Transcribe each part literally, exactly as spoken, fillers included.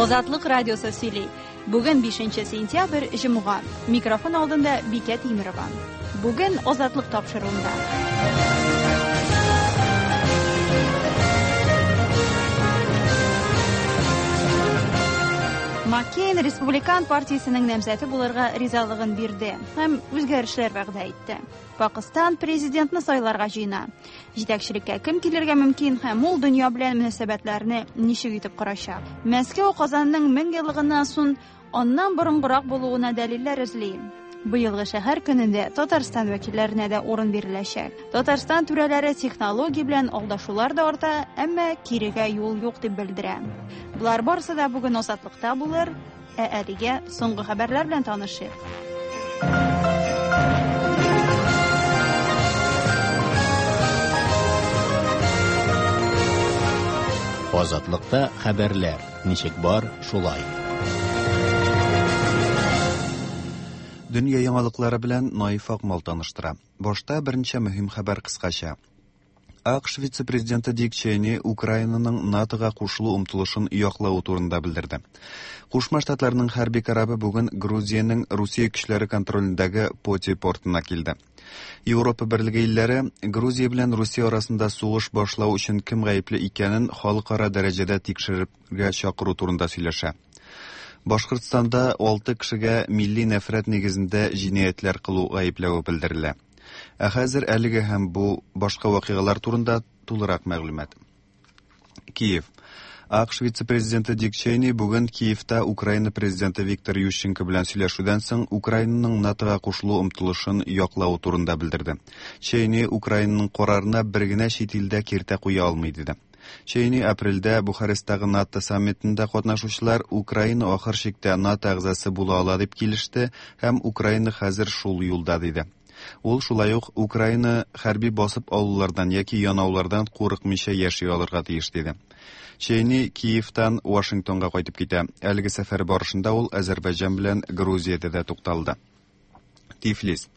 Азатлык радиосы сөйли. Бүген бишенче сентябрь, җомга. Микрофон алдында Бикә Тимирова. Бүген Азатлык тапшыруында. Маккейн Республикан партиясенең намзәте булырга ризалыгын бирде һәм үзгәрешләр вәгъдә итте. Пакыстан президентны сайларга җыена. Җитәкчелеккә кем килергә мөмкин һәм ул дөнья белән мөнәсәбәтләрне ничек итеп корачак? Мәскәү Казанның мең еллыгыннан соң аннан борынгырак булуына дәлилләр эзли. Быелгы шәһәр көнендә Татарстан вәкилләренә дә урын биреләчәк. Татарстан түрәләре технология белән алдашулар да арта, әмма кирегә юл юк дип белдерә. Болар барысы да бүген Азатлыкта булыр, ә әлегә соңгы хәбәрләр белән танышыйк. Азатлыкта хәбәрләр ничек бар, шулай. Дөнья яңалыклары белән Наиф Акмал таныштыра. Башта берничә мөһим хәбәр кыскача. АКШ вице-президенты Дик Чейни Украинаның НАТОга кушылу омтылышын яклавы турында белдерде. Кушма Штатларның хәрби корабы бүген Грузиянең Русия көчләре контролендәге Поти портына килде. Европа берлеге илләре Грузия белән Русия арасында сугыш башлау өчен кем гаепле икәнен халыкара дәрәҗәдә тикшерергә чакыру турында сөйләшә. Башкортстанда алты кешегә милли нәфрәт нигезендә җинаятьләр кылу гаепләве белдерелә. Ә хәзер әлеге һәм бу башка вакыйгалар турында тулырак мәгълүмат. Киев. АКШ вице-президенты Дик Чейни бүген Киевта Украина президенты Виктор Ющенко белән сөйләшүдән соң Украинаның НАТОга кушылу омтылышын яклавы турында белдерде. Чейни Украинаның карарына бер генә чит илдә киртә куя алмый диде. Чейни апрельдә Бухаресттагы НАТО саммитында катнашучылар Украина ахыр чиктә НАТО әгъзасы була ала дип килеште һәм Украина хәзер шул юлда диде. Ул шулай ук Украина хәрби басып алулардан яки янаулардан курыкмыйча яши алырга тиеш диде. Чейни Киевтан Вашингтонга кайтып китә. Әлеге сәфәр барышында ул Азәрбайҗан белән Грузиядә дә тукталды. Тифлис.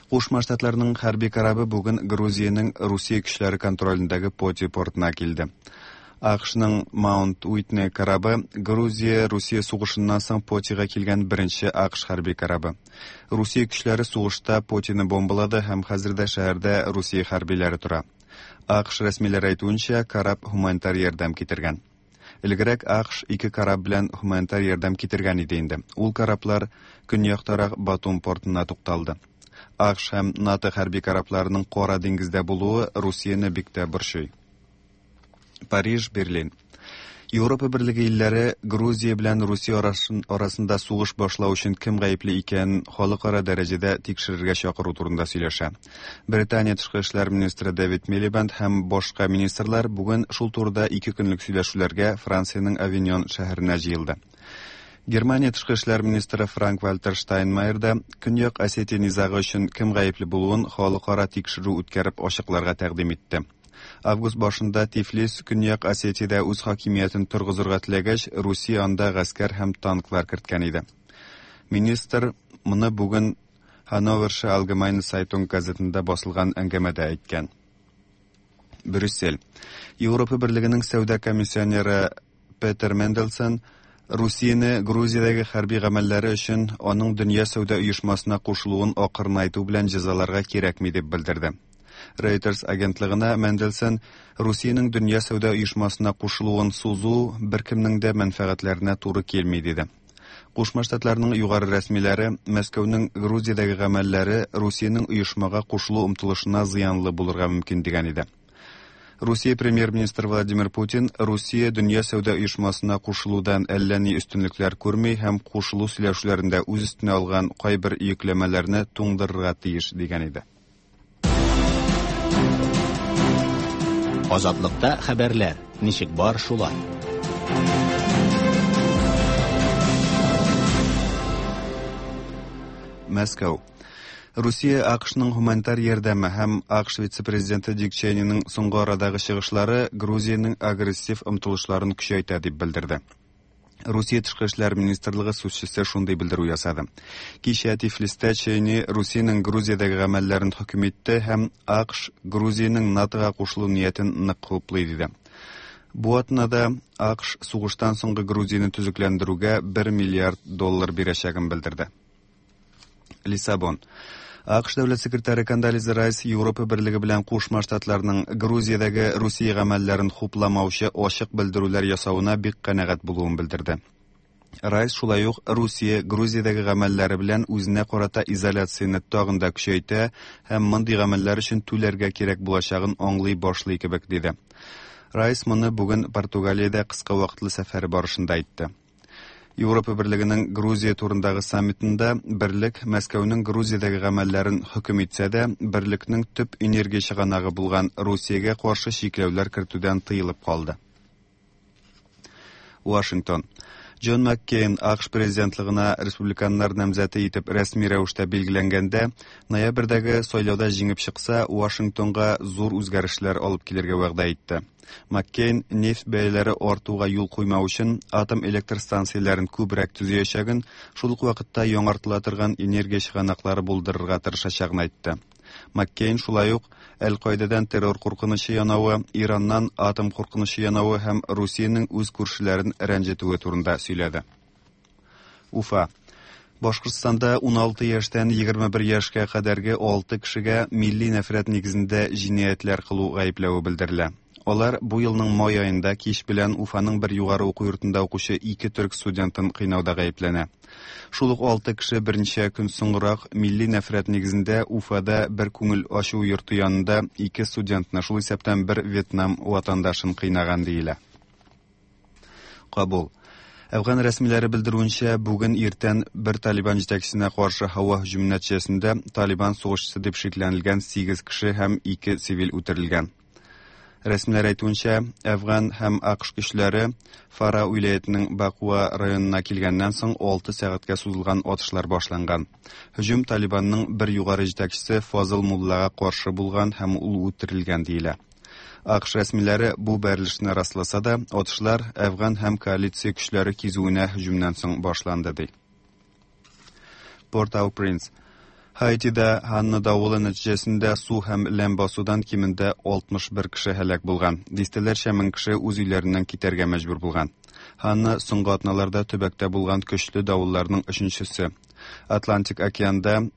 Кушма Штатларның хәрби корабы бүген Грузиянең Русия көчләре контролендәге Поти портына килде. АКШның Маунт Уитни корабы Грузия-Русия сугышыннан соң Потига килгән беренче АКШ хәрби корабы. Русия көчләре сугышта Потины бомбалады һәм хәзер дә шәһәрдә Русия хәрбиләре тора. АКШ рәсмиләре әйтүенчә, кораб гуманитар ярдәм китергән. Элегрәк АКШ ике кораб белән гуманитар ярдәм китергән иде инде. Ул кораблар көньяктарак Батум портына тукталды. АКШ һәм НАТО хәрби корабларының Кара диңгездә булуы Русияне бик тә борчый. Париж, Берлин. Европа берлеге илләре Грузия белән Русия арасында сугыш башлау өчен кем гаепле икәнен халыкара дәрәҗәдә тикшерергә чакыру турында сөйләшә. Британия тышкы эшләр министры Дэвид Милибенд һәм башка министрлар бүген шул турыда ике көнлек сөйләшүләргә Франциянең Авиньон шәһәренә җыелды. Германия тышкы эшләр министры Франк-Вальтер Штайнмайер да Көньяк Осетия низагы өчен кем гаепле булуын халыкара тикшерү үткәреп ачыкларга тәкъдим итте. Август башында Тифлис Көньяк Осетиядә үз хакимиятен торгызырга теләгәч, Русия анда гаскәр һәм танклар керткән иде. Министр моны бүген Hannoversche Allgemeine Zeitung газетында басылган әңгәмәдә әйткән. Брюссель. Европа берлегенең сәүдә комиссионеры Петер Менделсон Русияне Грузиядәге хәрби гамәлләре өчен аның дөнья сәүдә оешмасына кушылуын акырынайту белән җәзаларга кирәкми дип белдерде. Reuters агентлыгына Менделсон Русиянең дөнья сәүдә оешмасына кушылуын сузу беркемнең дә мәнфәгатьләренә туры килми диде. Кушма Штатларның югары рәсмиләре Мәскәүнең Грузиядәге гамәлләре Русиянең оешмага кушылу омтылышына зыянлы булырга мөмкин дигән иде. Русия премьер-министры Владимир Путин Русия дөнья сәүдә оешмасына кушылудан әллә ни өстенлекләр күрми һәм кушылу сөйләшүләрендә үз өстенә алган кайбер йөкләмәләрне туңдырырга тиеш дигән иде. Азатлыкта хәбәрләр ничек бар, шулай. Мәскәү. Русия АКШның гуманитар ярдәме һәм АКШ вице-президенты Дик Чейниның соңгы арадагы чыгышлары Грузиянең агрессив омтылышларын көчәйтә дип белдерде. Русия тышкы эшләр министрлыгы сүзчесе шундый белдерү ясады. Кичә Тифлистә Чейни Русиянең Грузиядәге гамәлләрен хөкем итте һәм АКШ Грузиянең НАТОга кушылу ниятен нык хуплый диде. Бу атнада А К Ш сугыштан соңгы Грузияне төзекләндерүгә бер миллиард доллар бирәчәген белдерде. Лиссабон. А К Ш дәүләт секретаре Кондолиза Райс Европа Берлеге белән Кушма Штатларның Грузиядәге Русия гамәлләрен хупламаучы ачык белдерүләр ясавына бик канәгать булуын белдерде. Райс шулай ук Русия Грузиядәге гамәлләре белән үзенә карата изоляцияне тагын да көчәйтә һәм мондый гамәлләр өчен түләргә кирәк булачагын аңлый башлый кебек диде. Райс моны бүген Португалиядә кыска вакытлы сәфәре барышында әйтте. Европа Берлегенең Грузия турындагы саммитында берлек Мәскәүнең Грузиядәге гамәлләрен хөкем итсә дә, берлекнең төп энергия чыганагы булган Русиягә каршы чикләүләр кертүдән тыелып калды. Вашингтон. Джон Маккейн А К Ш президентлыгына республиканнар намзәте итеп рәсми рәвештә билгеләнгәндә, ноябрьдәге сайлауда җиңеп чыкса, Вашингтонга зур үзгәрешләр алып килергә вәгъдә итте. Маккейн нефть бәяләре артуга юл куймау өчен атом электр станцияләрен күбрәк төзиячәген, шул ук вакытта яңартыла торган энергия чыганаклары булдырырга тырышачагын әйтте. Маккейн шулай ук Әл-Каидадан террор куркынычы янавы, Ираннан атом куркынычы янавы һәм Русиянең үз күршеләрен рәнҗетүе турында сөйләде. Уфа. Башкортстанда уналты яшьтән егерме бер яшькә кадәрге алты кешегә милли нәфрәт нигезендә җинаятьләр кылу гаепләве белдерелә. Алар бу елның май аенда кич белән Уфаның бер югары уку йортында укучы ике төрк студентын кыйнауда гаепләнә. Шул ук алты кеше берничә көн соңрак милли нәфрәт нигезендә Уфада бер күңел ачу йорты янында ике студентны, шул исәптән бер Вьетнам ватандашын кыйнаган диелә. Кабул. Әфган рәсмиләре белдерүенчә, бүген иртән бер Талибан җитәкчесенә каршы һава һөҗүме нәтиҗәсендә Талибан сугышчысы дип шикләнелгән сигез кеше һәм ике цивил үтерелгән. Рәсмиләр әйтүенчә, Әфган һәм А К Ш көчләре Фара вилаятының Бакуа районына килгәннән соң алты сәгатькә сузылган атышлар башланган. Һөҗүм Талибанның бер югары җитәкчесе Фазыл Муллага каршы булган һәм ул үтерелгән диелә. А К Ш рәсмиләре бу бәрелешне расласа да, атышлар Әфган һәм коалиция көчләре кизүенә һөҗүмнән соң башланды ди. Порт-au-Принс. Хаитида Ханна давылы нәтиҗәсендә су һәм ләм басудан кимендә алтмыш бер кеше һәлак булган. Дистәләрчә мең кеше үз өйләреннән китәргә мәҗбүр булган. Ханна соңгы атналарда төбәктә булган көчле давылларның өченчесе. Атлантик океанда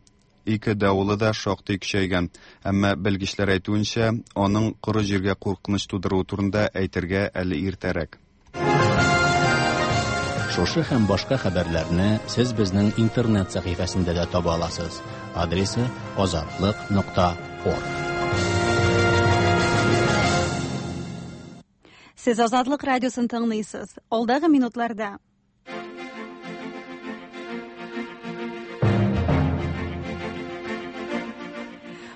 ике давылы да шактый көчәйгән, әмма белгечләр әйтүенчә, аның коры җиргә куркыныч тудыруы турында әйтергә әле иртәрәк. Шушы һәм башка хәбәрләрне сез безнең интернет сәхифәсендә дә таба аласыз. Адресы азатлык нокта орг. Сез Азатлык радиосын тыңлыйсыз. Алдагы минутларда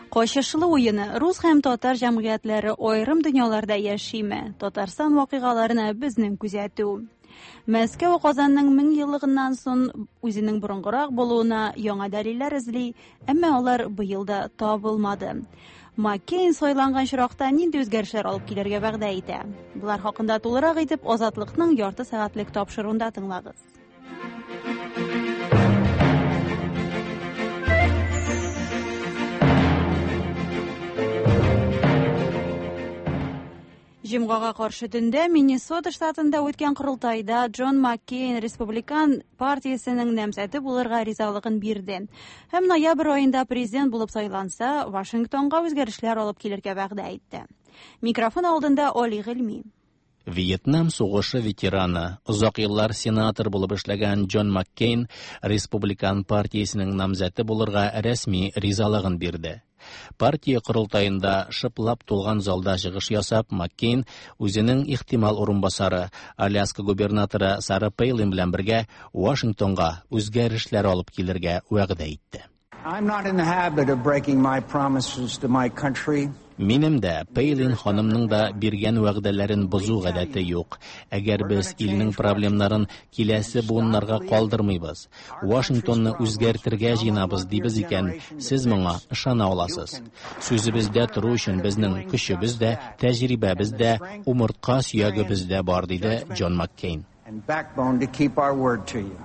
Качышлы уены рус һәм татар җәмгыятьләре аерым дөньяларда яшиме? Татарстан вакыйгаларына безнең күзәтү. Мәскәү Казанның мең еллыгыннан соң үзенең борынгырак булуына яңа дәлилләр эзли, әмма алар быел да табылмады. Маккейн сайланган очракта нинди үзгәрешләр алып килергә вәгъдә итә? Булар хакында тулырак итеп Азатлыкның ярты сәгатьлек тапшыруында тыңлагыз. Җомгага каршы төндә Миннесота штатында үткән корылтайда Джон Маккейн Республикан партиясенең намзәте булырга ризалыгын бирде. Һәм ноябрь аенда президент булып сайланса, Вашингтонга үзгәрешләр алып килергә вәгъдә итте. Микрофон алдында Оли Гыйльми. Вьетнам сугышы ветераны, озак еллар сенатор булып эшләгән Джон Маккейн Республикан партиясенең намзәте булырга рәсми ризалыгын бирде. Партия корылтаенда шыплап тулган залда чыгыш ясап, Маккейн үзенең ихтимал урынбасары Аляска губернаторы Сара Пейлин белән бергә Вашингтонга үзгәрешләр алып килергә вәгъдә итте. I'm not in the habit of breaking my promises to my country. Минем дә, Пейлин ханымның да биргән вәгъдәләрен бозу гадәте юк. Әгәр без илнең проблемнарын киләсе буыннарга калдырмыйбыз, Вашингтонны үзгәртергә җыенабыз дибез икән, сез моңа ышана аласыз. Сүзебездә тору өчен безнең көчебез дә, тәҗрибәбез дә, умыртка сөягебез дә бар, диде Джон Маккейн. And backbone to keep our word to you.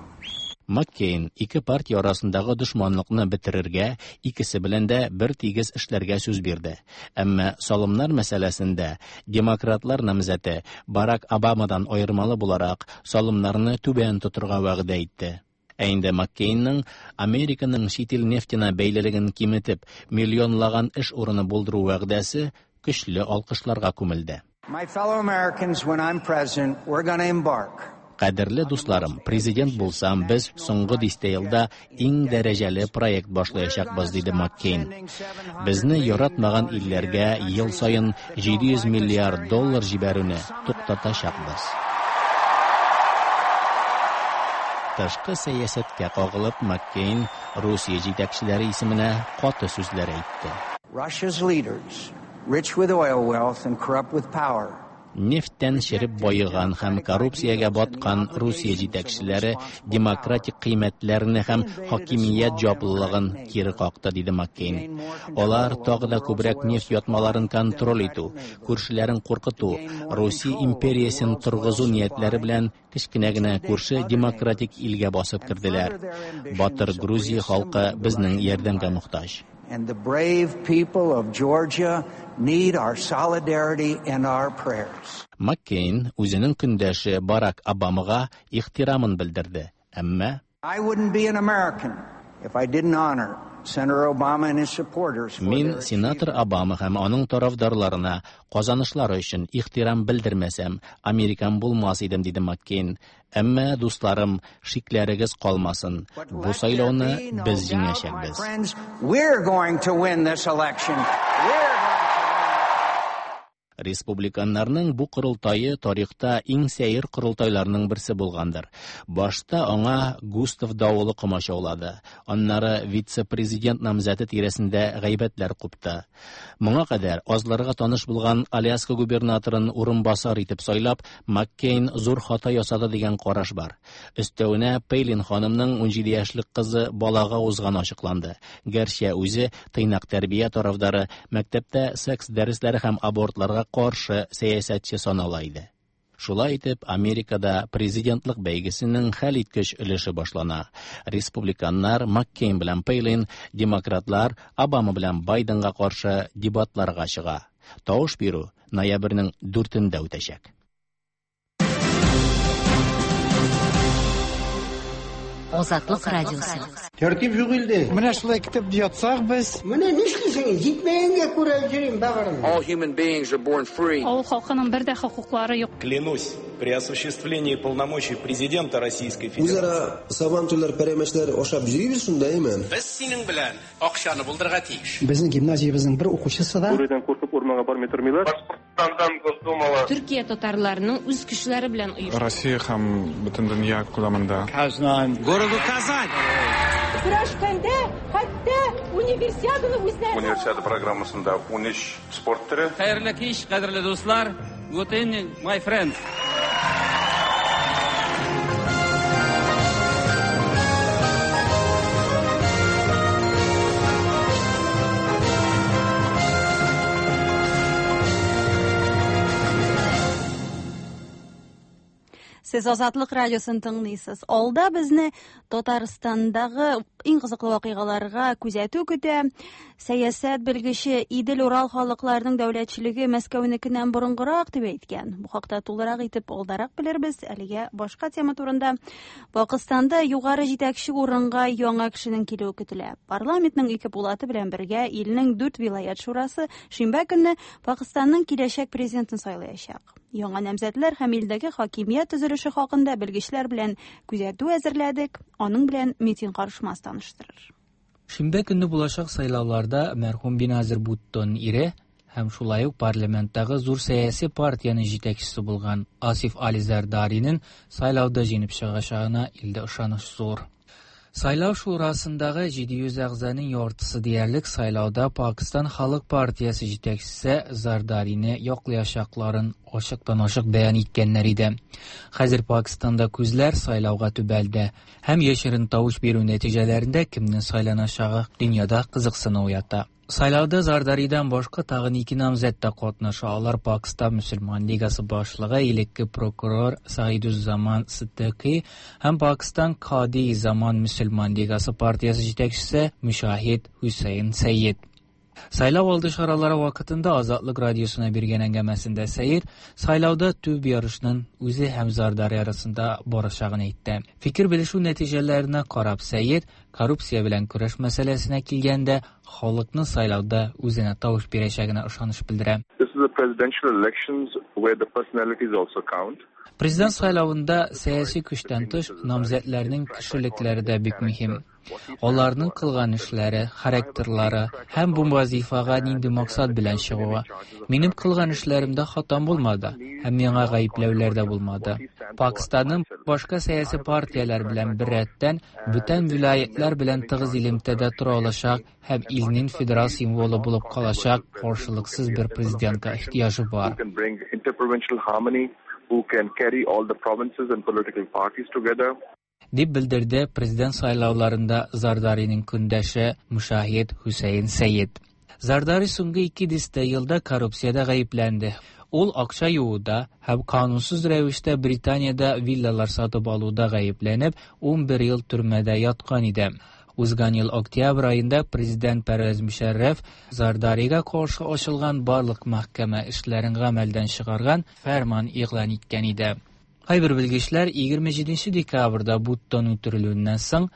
Маккейн ике партия арасындагы дошманлыкны бетерергә, икесе белән дә бер тигез эшләргә сүз бирде. Әмма салымнар мәсьәләсендә демократлар намзәте Барак Обамадан аермалы буларак салымнарны түбән тотырга вәгъдә итте. Ә инде Маккейнның Американың чит ил нефтенә бәйлелеген киметеп, миллионлаган эш урыны булдыру вәгъдәсе көчле алкышларга күмелде. My fellow Americans, when I'm president, we're going to embark. Кадерле дусларым, президент булсам, без соңгы дистә елда иң дәрәҗәле проект башлаячакбыз, диде Маккейн. Безне яратмаган илләргә ел саен җиде йөз миллиард доллар җибәрүне туктатачакбыз. Тышкы сәясәткә кагылып, Маккейн Русия җитәкчеләре исеменә каты сүзләр әйтте. Russia's leaders, rich with oil wealth and corrupt with power. Нефттән череп байыган һәм коррупциягә баткан Русия җитәкчеләре демократик кыйммәтләрне һәм хакимият җаваплылыгын кире какты, диде Маккейн. Алар тагы да күбрәк нефть ятмаларын контроль итү, күршеләрен куркыту, Русия империясен торгызу ниятләре белән кечкенә генә күрше демократик илгә басып керделәр. Батыр Грузия халкы безнең ярдәмгә мохтаҗ. And the brave people of Georgia need our solidarity and our prayers. Маккейн үзенең көндәше Барак Обамага ихтирамын белдерде. Әмма I wouldn't be an American if I didn't honor Senator Obama and his supporters for Мин their сенатор Обама һәм аның тарафдарларына казанышлары өчен ихтирам белдермәсәм, американ булмас идем, диде Маккейн. Әмма, дусларым, шикләрегез калмасын. Бу сайлауны без җиңәчәкбез. Friends, we're going to win this election. We're Республиканнарның бу корылтае тарихта иң сәер корылтайларның берсе булгандыр. Башта аңа Густав давылы комачаулады. Аннары вице-президент намзәте тирәсендә гайбәтләр купты. Моңа кадәр азларга таныш булган Аляска губернаторын урынбасар итеп сайлап, Маккейн зур хата ясады дигән караш бар. Өстәвенә Пейлин ханымның унҗиде яшьлек кызы балага узганы ачыкланды. Гәрчә үзе тыйнак тәрбия тарафдары, мәктәптә секс дәресләре һәм абортларга каршы сәясәтче санала иде. Шулай итеп, Америкада президентлык бәйгесенең хәлиткеч өлеше башлана. Республиканнар Маккейн белән Пейлин, демократлар Обама белән Байденга каршы дебатларга чыга. Тавыш бирү ноябрьнең дүртендә үтәчәк. Азатлык радиосы. Тәртип юк илдә. Менә шулай көтеп ятсак без. Менә нишлисең? Җитмәгәнгә күрә йөрим бәгырем. All human beings are born free. Авыл халкының бер дә хокуклары юк. Клянусь, при осуществлении полномочий президента Российской Федерации. Үзара сабантуйлар, пәрәмәчләр ашап йөрибез шунда, әйме? Без синең белән акчаны булдырырга тиеш. Безнең гимназиябезнең бер укучысы да Бүредән куркып урманга бармый тормыйлар. Башкортстандан Госдумала. Төркия татарларының үз көчләре белән оештырды. Россия һәм бөтен дөнья күләмендә. Казан. Городу Казань. Көрәшкәндә хәтта универсиаданы үзләре. Универсиада программасында унөч спорт төре. Хәерле кич, кадерле дуслар. Good evening, my friends. Сез Азатлык радиосын тыңлыйсыз. Алда безне Татарстандагы иң кызыклы вакыйгаларга күзәтү көтә. Сәясәт белгече Идел-Урал халыкларының дәүләтчелеге Мәскәүнекеннән борынгырак дип әйткән. Бу хакта тулырак итеп алдарак белербез. Әлегә башка тема турында. Пакистанда югары җитәкче урынга яңа кешенең килүе көтелә. Парламентның ике пулаты белән бергә илнең дүрт вилаят шурасы шимбә көнне Пакистанның киләчәк президентын сайлаячак. Яңа намзәтләр һәм илдәге хакимият төзелеше хакында белгечләр белән күзәтү әзерләдек. Аның белән Митин Карышмас таныштырыр. Шимбә көнне булачак сайлауларда мәрхүм Беназир Буттон ире һәм шулай ук парламенттагы зур сәяси партиянең җитәкчесе булган Асиф Али Зардаринең сайлауда җиңеп чыгачагына илдә ышаныч зур. Сайлау шурасындагы җиде йөз әгъзаның яртысы диярлек сайлауда Пакистан Халык партиясе җитәкчесе Зардарины яклаячакларын ачыктан-ачык бәян иткәннәр иде. Хәзер Пакистанда күзләр сайлауга төбәлде һәм яшерен тавыш бирү нәтиҗәләрендә кемнең сайланачагы дөньяда кызыксыну уята. Сайлауда Зардaridan башка тагын ике намзәт тә катнаша. Алар Пакистан Мөселман лигасы башлыгы элекке прокурор Саидуззаман Сиддикый һәм Пакистан Кади Заман Мөселман лигасы партиясе җитәкчесе Мушахид Хусейн Сәйед. Сайлау алды чаралары вакытында Азатлык радиосына биргән әңгәмәсендә Сәйед сайлауда төп ярышның үзе һәм Зардари арасында барачагын әйтте. Фикер белешү нәтиҗәләренә карап Сәйед коррупция белән көрәш мәсьәләсенә килгәндә халыкны сайлауда үзенә тавыш бирәчәгенә ышаныч белдерә. This is a presidential elections where the personalities also count. Президент сайлавында сәяси көчтән тыш намзәтләрнең кешелекләре дә бик мөһим. Аларның кылган эшләре, характерлары һәм бу вазифага нинди максат белән чыгуы. Минем кылган эшләремдә хатам булмады һәм миңа гаепләүләр дә булмады. Пакистанның башка сәяси партияләр белән беррәттән бүтән вилаятлар белән тыгыз элемтәдә тора алачак һәм илнең федерал символы булып калачак каршылыксыз бер президентка ихтыяҗы бар. Who can carry all the provinces and political parties together. Дип белдерде президент сайлауларында Зардariның көндәше Мушахид Хусейн Сәйед. Зардари соңгы ике дистә елда коррупциядә гаепләнде. Ул акча юуда һәм канунсыз рәвештә Британиядә виллалар сатып алуда гаепләнеп, ун бер ел төрмәдә яткан иде. Узган ел октябрь аенда президент Пәрвәз Мөшәррәф Зардарига каршы ачылган барлык мәхкәмә эшләрен гамәлдән чыгарган фәрман игълан иткән иде. Кайбер белгечләр егерме җиденче декабрьдә Буттон үтерелүеннән соң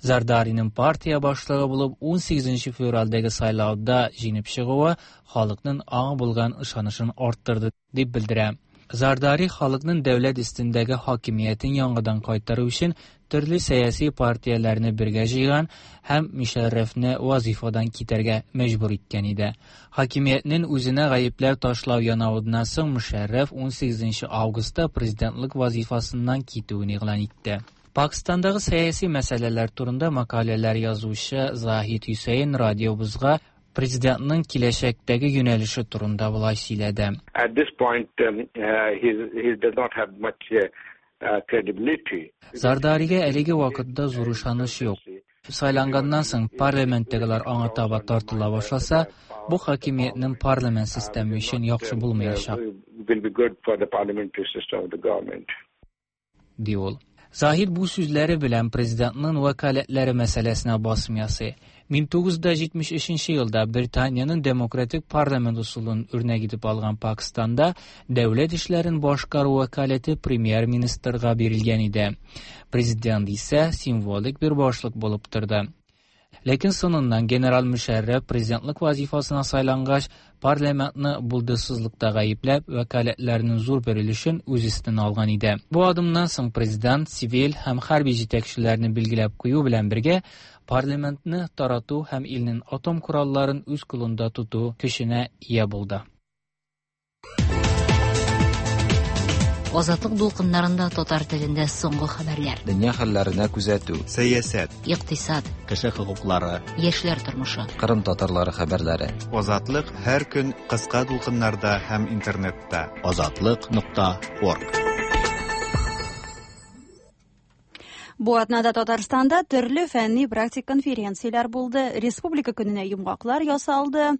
Зардариның партия башлыгы булып ун сигезенче февральдәге сайлауда җиңеп чыгуы халыкның аңа булган ышанычын арттырды дип белдерә. Зардари халыкның дәүләт өстендәге хакимиятен яңадан кайтару өчен төрле сәяси партияләрне бергә җыйган һәм Мөшәррәфне вазифадан китәргә мәҗбүр иткән иде. Хакимиятнең үзенә гаепләү ташлау янавыннан соң Мөшәррәф ун сигезенче августта президентлык вазифасыннан китүен игълан итте. Пакистандагы сәяси мәсьәләләр турында мәкаләләр язучы Заһид Хусейн радиобызга президентның киләчәктәге юнәлеше турында болай сөйләде. At this point um, uh, he he does not have much uh, credibility. Зардарига әлеге вакытта зур ышаныч юк. Сайланганнан соң парламенттагылар аңа таба тартыла башласа, бу хакимиятнең парламент системы өчен яхшы булмаячак. Will be good for the parliamentary system of the government. Ди ул. Заһид бу сүзләре белән президентның вәкаләтләре мәсьәләсенә басым ясый. мең тугыз йөз җитмеш өченче елда Британиянең демократик парламент ысулын үрнәк итеп алган Пакистанда дәүләт эшләрен башкару вәкаләте премьер-министрга бирелгән иде. Президент исә символик бер башлык булып торды. Ләкин соңыннан генерал Мөшәррәф президентлык вазифасына сайлангач, парламентны булдыксызлыкта гаепләп, вәкаләтләренең зур бер өлешен үз өстенә алган иде. Бу адымнан соң президент цивиль һәм хәрби җитәкчеләрне билгеләп кую белән бергә парламентны тарату һәм илнең атом коралларын үз кулында тоту көченә ия булды. Азатлык дулкыннарында татар телендә соңгы хәбәрләр. Дөнья хәлләренә күзәтү, сәясәт, икътисад, кеше хокуклары, яшьләр тормышы, Кырым татарлары хәбәрләре. Азатлык һәр көн кыска дулкыннарда һәм интернетта. Азатлык нокта орг. Бу атнада Татарстанда төрле фәнни практик конференцияләр булды, Республика көненә йомгаклар ясалды.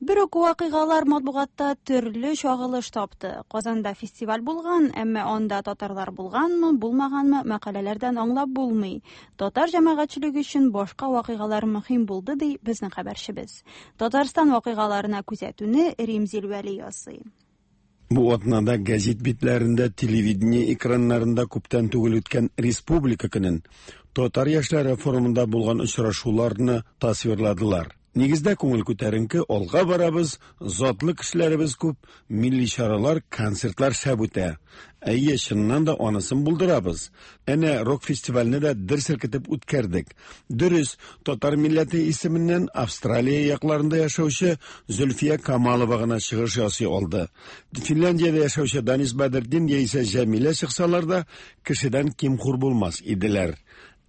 Бер үк вакыйгалар матбугатта төрле чагылыш тапты. Казанда фестиваль булган, әмма анда татарлар булганмы, булмаганмы мәкаләләрдән аңлап булмый. Татар җәмәгатьчелеге өчен башка вакыйгалар мөһим булды, ди безнең хәбәрчебез. Татарстан вакыйгаларына күзәтүне Римзил Вәли ясый. Бу атнада газет битләрендә, телевидение экраннарында күптән түгел үткән Республика көнен, татар яшьләре форумында булган очрашуларны тасвирладылар. Нигездә күңел күтәренке, алга барабыз, затлы кешеләребез күп, милли чаралар, концертлар шәп үтә. Әйе, чыннан да анысын булдырабыз. Әнә рок фестивальне дә дер селкетеп үткәрдек. Дөрес, татар милләте исеменнән Австралия якларында яшәүче Зөлфия Камалова гына чыгыш ясый алды. Финляндиядә яшәүче Данис Бәдертдин яисә Җәмилә чыксалар да, кешедән ким-хур булмас иделәр.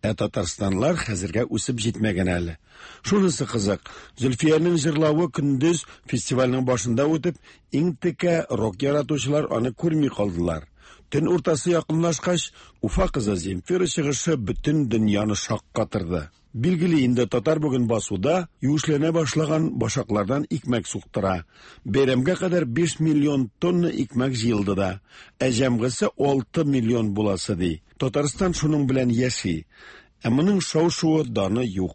Ә татарстанлар хәзергә үсеп җитмәгән әле. Шунысы кызык, Зөлфиянең җырлавы көндез фестивальнең башында үтеп, иң текә рок яратучылар аны күрми калдылар. Төн уртасы якынлашкач, Уфа кызы Земфира чыгышы бөтен дөньяны шаккатырды. Билгеле инде татар бүген басуда юешләнә башлаган башаклардан икмәк суктыра. Бәйрәмгә кадәр биш миллион тонна икмәк җыелды да, ә җәмгысе алты миллион буласы ди. Татарстан шуның белән яши. Ә моның шау-шуы даны юк.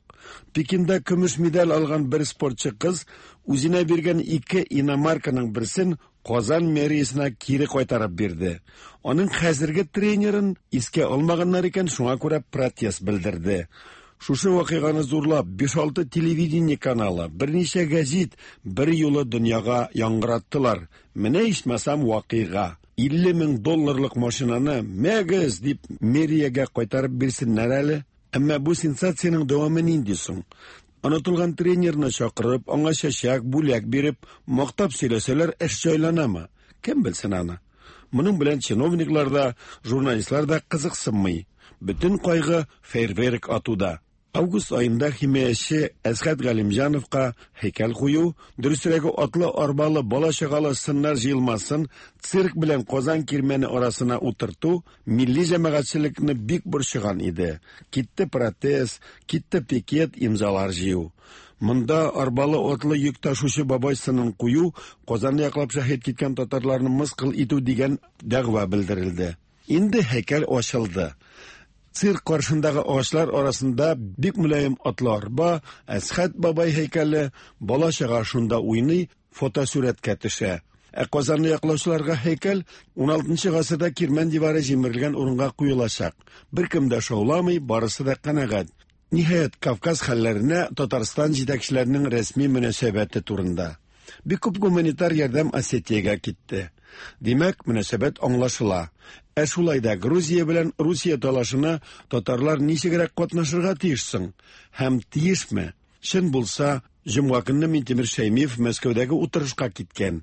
Пекинда көмеш медаль алган бер спортчы кыз үзенә биргән ике иномарканың берсен Казан мэриясенә кире кайтарып бирде. Аның хәзерге тренерын искә алмаганнар икән, шуңа күрә протест белдерде. Шушы вакыйганы зурлап биш-алты телевидение каналы, берничә гәзит бер юлы дөньяга яңгыраттылар. Менә ичмасам вакыйга. илле мең долларлык машинаны мәгез дип мэриягә кайтарып бирсеннәр әле. Әмма бу сенсациянең дәвамы нинди соң? Онытылган тренерны чакырып, аңа чәчәк, бүләк биреп, мактап сөйләсәләр, эш җайланамы? Кем белсен аны? Моның белән чиновниклар да, журналистлар да кызыксынмый. Бөтен кайгы фейерверк атуда. Август аенда химияче Әсхәт Галимҗановка һәйкәл кую, дөресрәге атлы арбалы бала-чагалы сыннар җыелмасын цирк белән Казан кирмәне арасына утырту милли җәмәгатьчелекне бик борчыган иде. Китте протест, китте пикет, имзалар җыю. Монда арбалы атлы йөк ташучы бабай сынын кую, Казанны яклап шәһит киткән татарларны мыскыл итү дигән дәгъва белдерелде. Инде һәйкәл ачылды. Цирк каршындагы агачлар арасында бик мөлаем атлы арба, Әсхәт бабай һәйкәле, бала-чага шунда уйный, фотосурәткә төшә. Ә Казанны яклаучыларга һәйкәл ун алтынчы гасырда Кирмән дивары җимерелгән урынга куелачак. Беркем дә шауламый, барысы да канәгать. Ниһаять, Кавказ хәлләренә Татарстан җитәкчеләренең рәсми мөнәсәбәте турында. Бик күп гуманитар ярдәм Осетиягә китте. Димәк, мөнәсәбәт аңлашыла. Ә шулай да Грузия белән Русия талашына татарлар ничегрәк катнашырга тиеш соң? Һәм тиешме? Чын булса, җомга көнне Минтимер Шәймиев Мәскәүдәге утырышка киткән.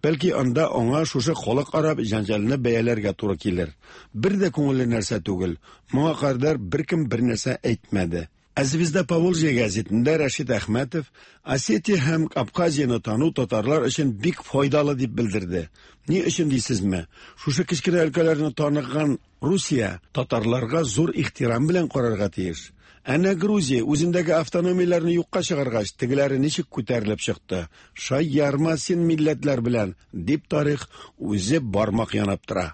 Бәлки анда аңа шушы халыкара җәнҗалны бәяләргә туры килер. Бер дә күңелле нәрсә түгел. Моңа кадәр беркем бер нәрсә әйтмәде. Ә «Звезда Поволжья» гәзитендә Рәшит Әхмәтов Осетия һәм Абхазияны тану татарлар өчен бик файдалы дип белдерде. Ни өчен дисезме? Шушы кечкенә өлкәләрне таныган Русия татарларга зур ихтирам белән карарга тиеш. Әнә Грузия үзендәге автономияләрне юкка чыгаргач, тегеләре ничек күтәрелеп чыкты? Шаярма син милләтләр белән, дип тарих үзе бармак янап тора.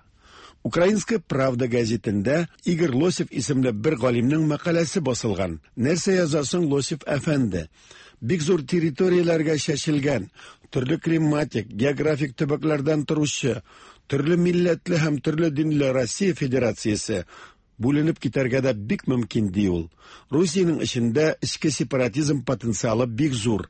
Украинская правда газетында Игорь Лосев исемле бер галимнең мәкаләсе басылган. Нәрсә язасың, Лосев әфәнде? Бик зур территорияләргә чәчелгән, төрле климатик, географик төбәкләрдән торучы, төрле милләтле һәм төрле динле Россия Федерациясе бүленеп китәргә дә бик мөмкин, ди ул. Русиянең эчендә эчке сепаратизм потенциалы бик зур.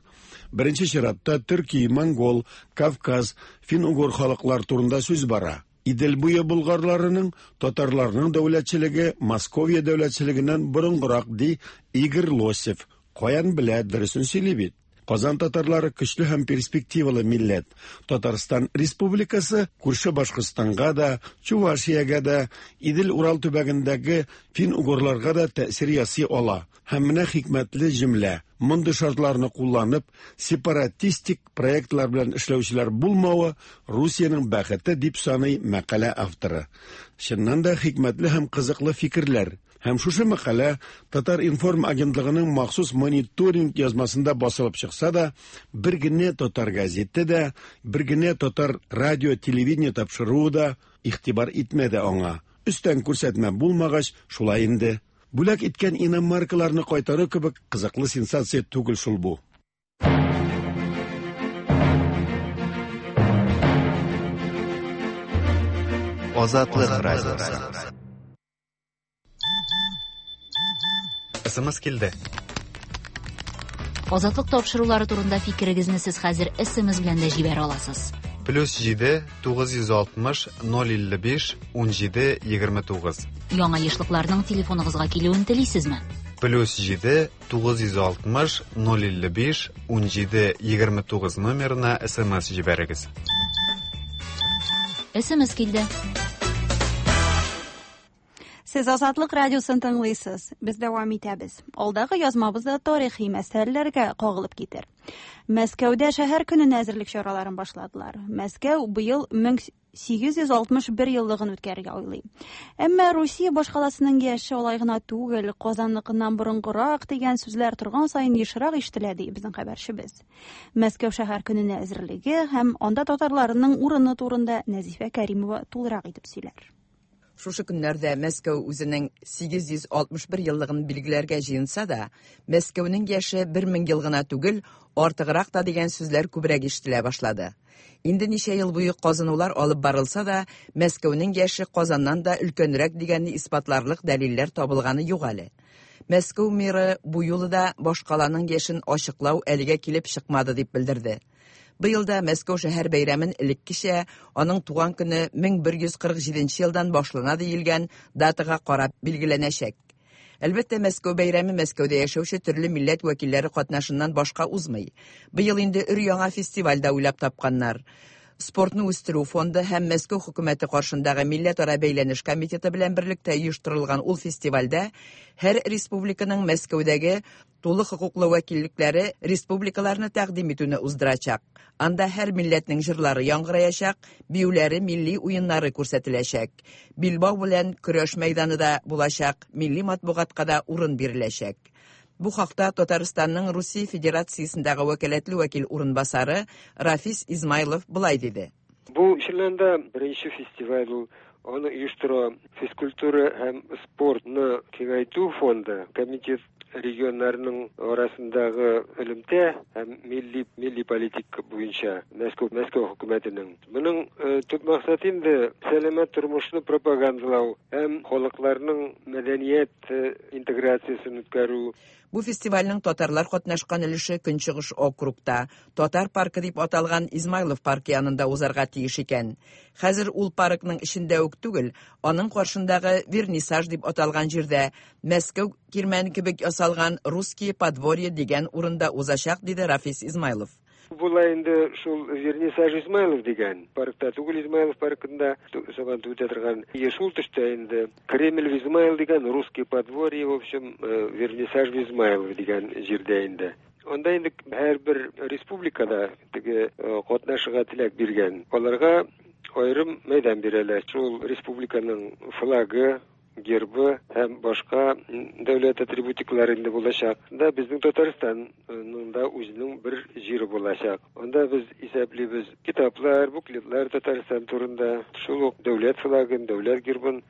Беренче чиратта төрки, монгол, Кавказ, фин-угор халыклар турында сүз бара. Идел буе булгарларының, татарларның дәүләтчелеге Московия дәүләтчелегеннән борынгырак, ди Игорь Лосев. Каян белә, дөресен сөйли бит. Казан татарлары көчле һәм перспективалы милләт. Татарстан Республикасы күрше Башкортстанга да, Чувашиягә дә, Идел-Урал төбәгендәге фин-угорларга да тәэсир ясый ала. Һәм менә хикмәтле җөмлә. Мондый шартларны кулланып, сепаратистик проектлар белән эшләүчеләр булмавы Русиянең бәхете дип саный мәкалә авторы. Чыннан да хикмәтле һәм кызыклы фикерләр. Һәм шушы мәкалә Татар-информ агентлыгының махсус мониторинг язмасында басылып чыкса да, бер генә татар газеты да, бер генә татар радио, телевидение тапшыруы да игътибар итмәде аңа. Өстән күрсәтмә булмагач, шулай инде. Бүләк иткән иномаркаларны кайтару кебек кызыклы сенсация түгел шул бу. Азатлык радиосы. СМС килде. Азатлык тапшырулары турында фикерегезне сез хәзер СМС белән дә җибәрә аласыз. Плюс җиде тугыз йөз алтмыш ноль илле биш ун җиде егерме тугыз. Яңа ешлыкларның телефоныгызга килүен телисезме? Плюс җиде тугыз йөз алтмыш ноль илле биш ун җиде егерме тугыз номерына СМС җибәрегез. СМС килде. Сез Азатлык радиосын тыңлыйсыз. Без дәвам итәбез. Алдагы язмабызда тарихи мәсьәләләргә кагылып китер. Мәскәүдә шәһәр көненә әзерлек чараларын башладылар. Мәскәү быел мең сигез йөз алтмыш бер еллыгын үткәрергә уйлый. Әмма Русия башкаласының яше алай гына түгел, Казанныкыннан борынгырак дигән сүзләр торган саен ешрак ишетелә, ди безнең хәбәрчебез. Мәскәү шәһәр көненә әзерлеге һәм анда татарларының урыны турында Нәзифә Кәримова тулырак итеп сөйләр. Шушы көннәрдә Мәскәү үзенең сигез йөз алтмыш бер еллыгын билгеләргә җыенса да, Мәскәүнең яше бер мең ел гына түгел, артыграк та дигән сүзләр күбрәк ишетелә башлады. Инде ничә ел буе казынулар алып барылса да, Мәскәүнең яше Казаннан да өлкәнрәк дигәнне исбатларлык дәлилләр табылганы юк әле. Мәскәү мэры бу юлы да башкаланың яшен ачыклау әлегә килеп чыкмады дип белдерде. Быелда Мәскәү шәһәр бәйрәмен элеккечә аның туган көне мең бер йөз кырык җиденче елдан башлана диелгән датага карап билгеләнәчәк. Әлбәттә, Мәскәү бәйрәме Мәскәүдә яшәүче төрле милләт вәкилләре катнашыннан башка узмый. Быел инде өр-яңа фестиваль дә уйлап тапканнар. Спортны үстерү фонды һәм Мәскәү хөкүмәте каршындагы милләтара бәйләнеш комитеты белән берлектә оештырылган ул фестивальдә һәр республиканың Мәскәүдәге тулы хокуклы вәкиллекләре республикаларны тәкъдим итүне уздырачак. Анда һәр милләтнең җырлары яңгыраячак, биюләре, милли уеннары күрсәтеләчәк. Билбау белән көрәш мәйданы да булачак, милли матбугатка да урын биреләчәк. Бу хакта Татарстанның Русия Федерациясендәге вәкаләтле вәкил урынбасары Рафис Измайлов былай диде. Бу чыннан да беренче фестиваль ул. Аны оештыра физкультура һәм спортны киңәйтү фонды, комитет регионнарының арасындагы элемтә һәм милли, милли политика буенча Мәскәү, Мәскәү хөкүмәтенең. Моның төп максаты инде сәламәт тормышны пропагандалау һәм халыкларның мәдәният интеграциясен үткәрү. Бу фестивальнең татарлар катнашкан өлеше Көнчыгыш округта, Татар паркы дип аталган Измайлов паркы янында узарга тиеш икән. Хәзер ул паркның эчендә үк түгел, аның каршындагы Вернисаж дип аталган җирдә Мәскәү кирмәне кебек ясалган Русские подворье дигән урында узачак, диде Рафис Измайлов. Була инде шул Вернисаж Измайлов дигән паркта түгел, Измайлов паркында Сабантуй үтә торган. Шул төштә инде Кремль в Измаил дигән, Русские подворье, в общем, Вернисаж в Измайлов дигән җирдә инде. Анда инде һәрбер республикада теге катнашырга теләк биргән. Аларга аерым мәйдан бирәләр. Шул республиканың флагы, гербы һәм башка дәүләт атрибутикалары инде булачак. Да безнең Татарстанның да үзенең бер җире булачак. Анда без исәплибез китаплар, буклетлар Татарстан турында, шул ук дәүләт флагын, дәүләт гербын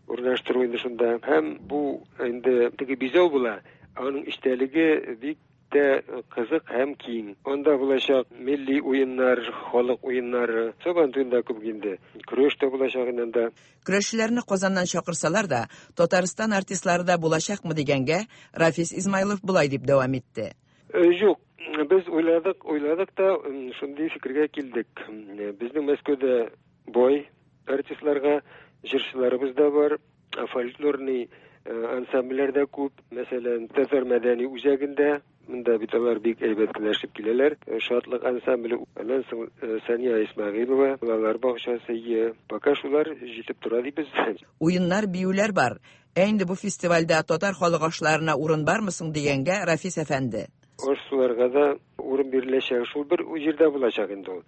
урнаштыру инде шунда. Һәм бу инде теге бизәү була, аның эчтәлеге бик тә кызык һәм киң. Анда булачак милли уеннар, халык уеннары, Сабантуенда күп инде. Көрәш тә булачак инде анда. Көрәшчеләрне Казаннан чакырсалар да, Татарстан артистлары да булачакмы дигәнгә Рафис Измайлов болай дип дәвам итте. Юк, без уйладык, уйладык та шундый фикергә килдек. Безнең Мәскәүдә бай артистларга җырчыларыбыз да бар, фольклорный ансамбльләр дә күп. Мәсәлән, Татар мәдәни үзәгендә монда бит алар бик әйбәт кенә эшләп киләләр. Шатлык ансамбле, аннан соң Сания Исмәгыйлова, балалар бакчасы, пока шулар җитеп тора дибез. Уеннар, биюләр бар. Ә инде бу фестивальдә татар халык ашларына урын бармы соң дигәнгә Рафис әфәнде. Аш-суларга да урын биреләчәк. Шул бер җирдә булачак инде ул.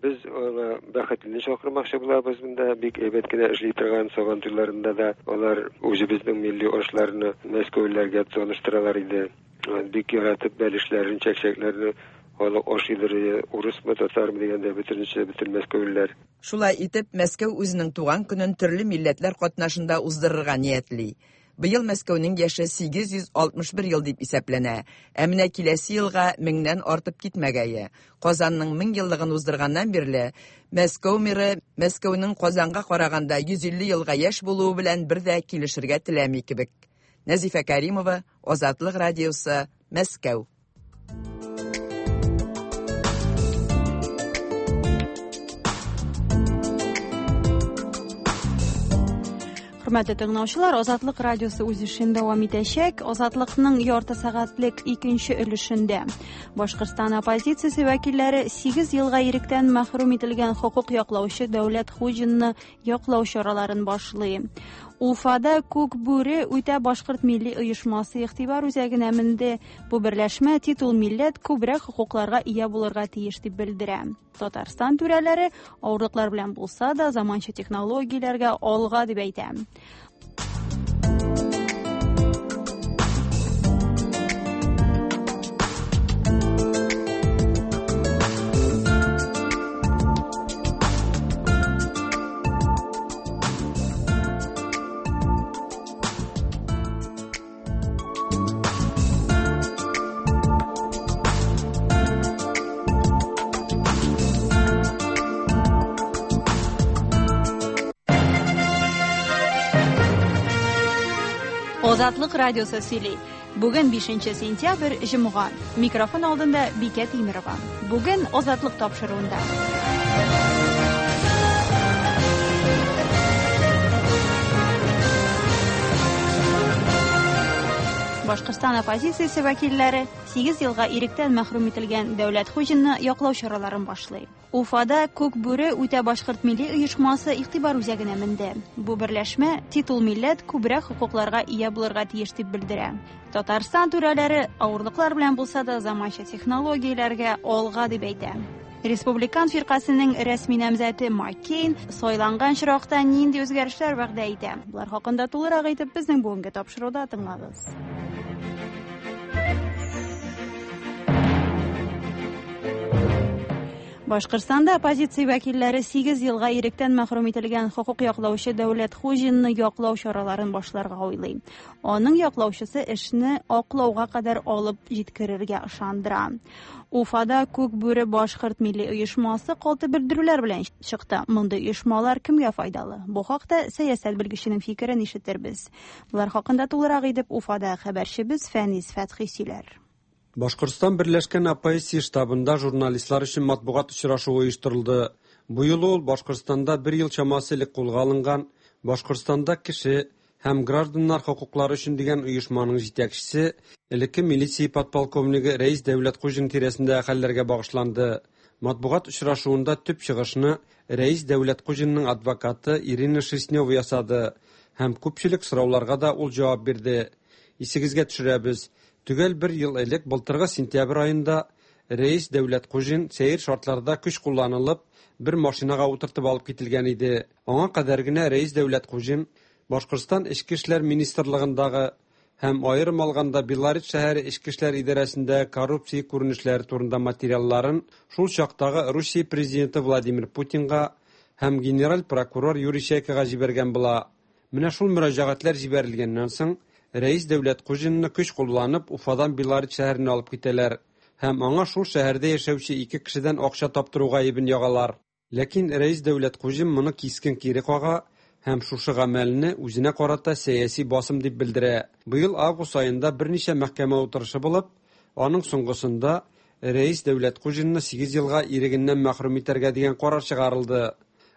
Без аңа бәхетле чакырмакчы булабыз монда, бик әйбәт кенә эшли торган Сабантуйларында да алар үзебезнең милли ашларны мәскәүлеләргә таныштыралар иде. Бик яратып бәлешләрен, чәкчәкләрне халык ашыйдыр, урысмы, татармы дигәндә бөтенесе, бөтен мәскәүлеләр. Шулай итеп, Мәскәү үзенең туган көнен төрле милләтләр катнашында уздырырга ниятли. Быел Мәскәүнең яше сигез йөз алтмыш бер ел дип исәпләнә. Ә менә киләсе елга меңнән артып китмәгәе. Казанның мең еллыгын уздырганнан бирле Мәскәү мэры Мәскәүнең Казанга караганда йөз илле елга яшь булуы белән бер дә килешергә теләми кебек. Нәзифә Кәримова, Азатлык радиосы, Мәскәү. Хөрмәтле тыңлаучылар, Азатлык радиосы үз эшен дәвам итәчәк. Азатлыкның ярты сәгатьлек икенче өлешендә Башкортстан оппозициясе вәкилләре сигез елга иректән мәхрүм ителгән хокук яклаучы Дәүләт Хуҗинны яклау чараларын башлый. Уфада Күк бүре үтә башкорт милли оешмасы игътибар үзәгенә менде. Бу берләшмә титул милләт күбрәк хокукларга ия булырга тиеш дип белдерә. Татарстан түрәләре авырлыклар белән булса да заманча технологияләргә алга дип әйтә. Азатлык радиосы сөйли. Бүген бишенче сентябрь, җомга. Микрофон алдында Бикә Тимирова. Бүген Азатлык тапшыруында. Башкортстан оппозициясе вәкилләре сигез елга иректән мәхрүм ителгән Дәүләт Хуҗинны яклау чараларын башлый. Уфада Күк бүре үтә башкорт милли оешмасы игътибар үзәгенә менде. Бу берләшмә титул милләт күбрәк хокукларга ия булырга тиеш дип белдерә. Татарстан түрәләре авырлыклар белән булса да заманча технологияләргә алга дип әйтә. Республикан фиркасының рәсми намзәте Маккейн сайланган чиракта нинди үзгәрешләр вәгъдә итә? Булар хакында тулырак әйтеп безнең бүгенге тапшыруда тыңлагыз. Башкортстанда оппозиция вәкилләре сигез елга иректән мәхрүм ителгән хокук яклаучы Дәүләт Хуҗинны яклау чараларын башларга уйлый. Аның яклаучысы эшне аклауга кадәр алып җиткерергә ышандыра. Уфада Күк бүре башкорт милли оешмасы калты белдерүләр белән чыкты. Мондый оешмалар кемгә файдалы? Бу хакта сәясәт белгеченең фикерен ишетербез. Булар хакында тулырак итеп Уфада хәбәрчебез Фәнис Фәтхи сөйләр. Башкортстан Берләшкән оппозиция штабында журналистлар өчен матбугат очрашуы оештырылды. Бу юлы ул Башкортстанда бер ел чамасы элек кулга алынган Башкортстанда кеше һәм гражданнар хокуклары өчен дигән оешманың җитәкчесе, элекке милиция подполковнигы Рәис Дәүләткуҗин тирәсендә хәлләргә багышланды. Матбугат очрашуында төп чыгышны Рәис Дәүләткуҗинның адвокаты Ирина Шерстнева ясады һәм күпчелек сорауларга да ул җавап бирде. Исегезгә төшерәбез. Төгәл бер ел элек былтыргы сентябрь айында Рәис Дәүләткуҗин сәер шартларда көч кулланылып бер машинага утыртып алып кителгән иде. Аңа кадәр генә Рәис Дәүләткуҗин Башкортстан Эчке эшләр министрлыгындагы һәм аерым алганда Белорет шәһәре Эчке эшләр идарәсендә коррупция күренешләре турында материалларын шул чактагы Русия президенты Владимир Путинга һәм генераль прокурор Юрий Чайкага җибәргән була. Менә шул мөрәҗәгатьләр җибәрелгәннән соң Рәис Дәүләткуҗинны көч кулланып Уфадан Белорет шәһәренә алып китәләр һәм аңа шул шәһәрдә яшәүче ике кешедән акча таптыру гаебен ягалар. Ләкин Рәис Дәүләткуҗин моны кискен кире кага һәм шушы гамәлне үзенә карата сәяси басым дип белдерә. Быел август аенда берничә мәхкәмә утырышы булып, аның соңгысында Рәис Дәүләткуҗинны сигез елга ирегеннән мәхрүм итәргә дигән карар чыгарылды.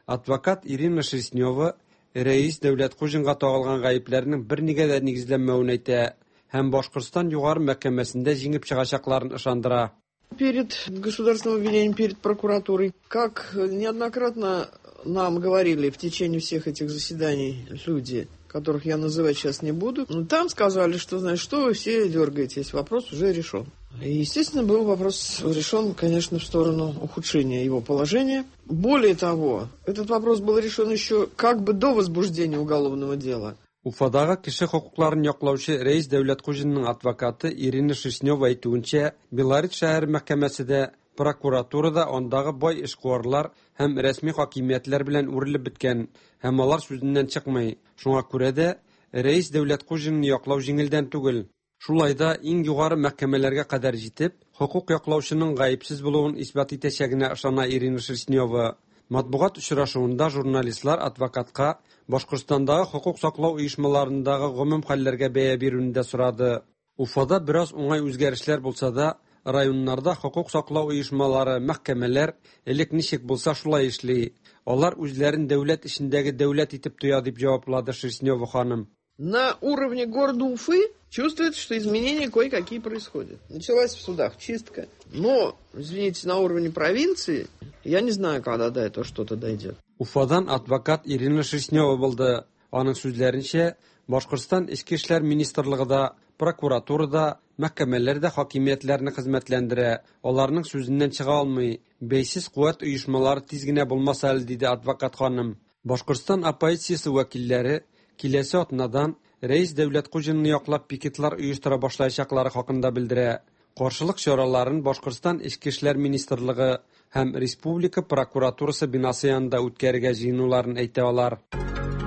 Адвокат Ирина Шерстнева Рәис Дәүләткуҗинга тагылган гаепләрнең бернигә дә нигезләнмәвен әйтә һәм Башкортстан югары мәхкәмәсендә җиңеп чыгачакларын ышандыра. Перед государственным обвинением, перед прокуратурой, как неоднократно нам говорили в течение всех этих заседаний люди, которых я называть сейчас не буду, но там сказали, что, знаешь, что вы все дергаетесь, вопрос уже решен. И, естественно, был вопрос решен, конечно, в сторону ухудшения его положения. Более того, этот вопрос был решен еще как бы до возбуждения уголовного дела. Уфадагы кеше хокукларын яклаучы Рәис Дәүләткуҗинның адвокаты Ирина Шерстнева әйтүенчә, Белорет шәһәре мәхкәмәсе дә, прокуратура да андагы бай эшкуарлар һәм рәсми хакимиятләр белән үрелеп беткән һәм алар сүзеннән чыкмый. Шуңа күрә дә Рәис Дәүләткуҗинны яклау җиңелдән түгел. Шулай да иң югары мәхкәмәләргә кадәр җитеп, хокук яклаучының гаепсез булуын исбат итәчәгенә ышана Ирина Шерстнева. Матбугат очрашуында журналистлар адвокатка Башкортстандагы хокук саклау оешмаларындагы гомум хәлләргә бәя бирүне дә сорады. Уфада бераз уңай үзгәрешләр булса да, районнарда хокук саклау оешмалары, мәхкәмәләр элек ничек булса шулай эшли. Алар үзләрен дәүләт эчендәге дәүләт итеп тоя дип җаваплады Шерстнева ханым. На уровне города Уфы чувствуется, что изменения кое-какие происходят. Началась в судах чистка. Но, извините, на уровне провинции, я не знаю, когда до этого что-то дойдет. Уфадан адвокат Ирина Шерстнева булды. Аның сүзләренчә, Башкортстан Эчке эшләр министрлыгы да, прокуратура да, мәхкәмәләр дә хакимиятләрне хезмәтләндерә, аларның сүзеннән чыга алмый. Бәйсез куәт оешмалары тиз генә булмаса әле, диде адвокат ханым. Башкортстан оппозициясе вәкилләре киләсе атнадан Рәис Дәүләткуҗинны яклап пикетлар оештыра башлаячаклары хакында белдерә. Каршылык чараларын Башкортстан Эчке эшләр министрлыгы һәм Республика прокуратурасы бинасы янында үткәрергә җыенуларын әйтә алар.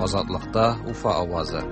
Азатлыкта Уфа авазы.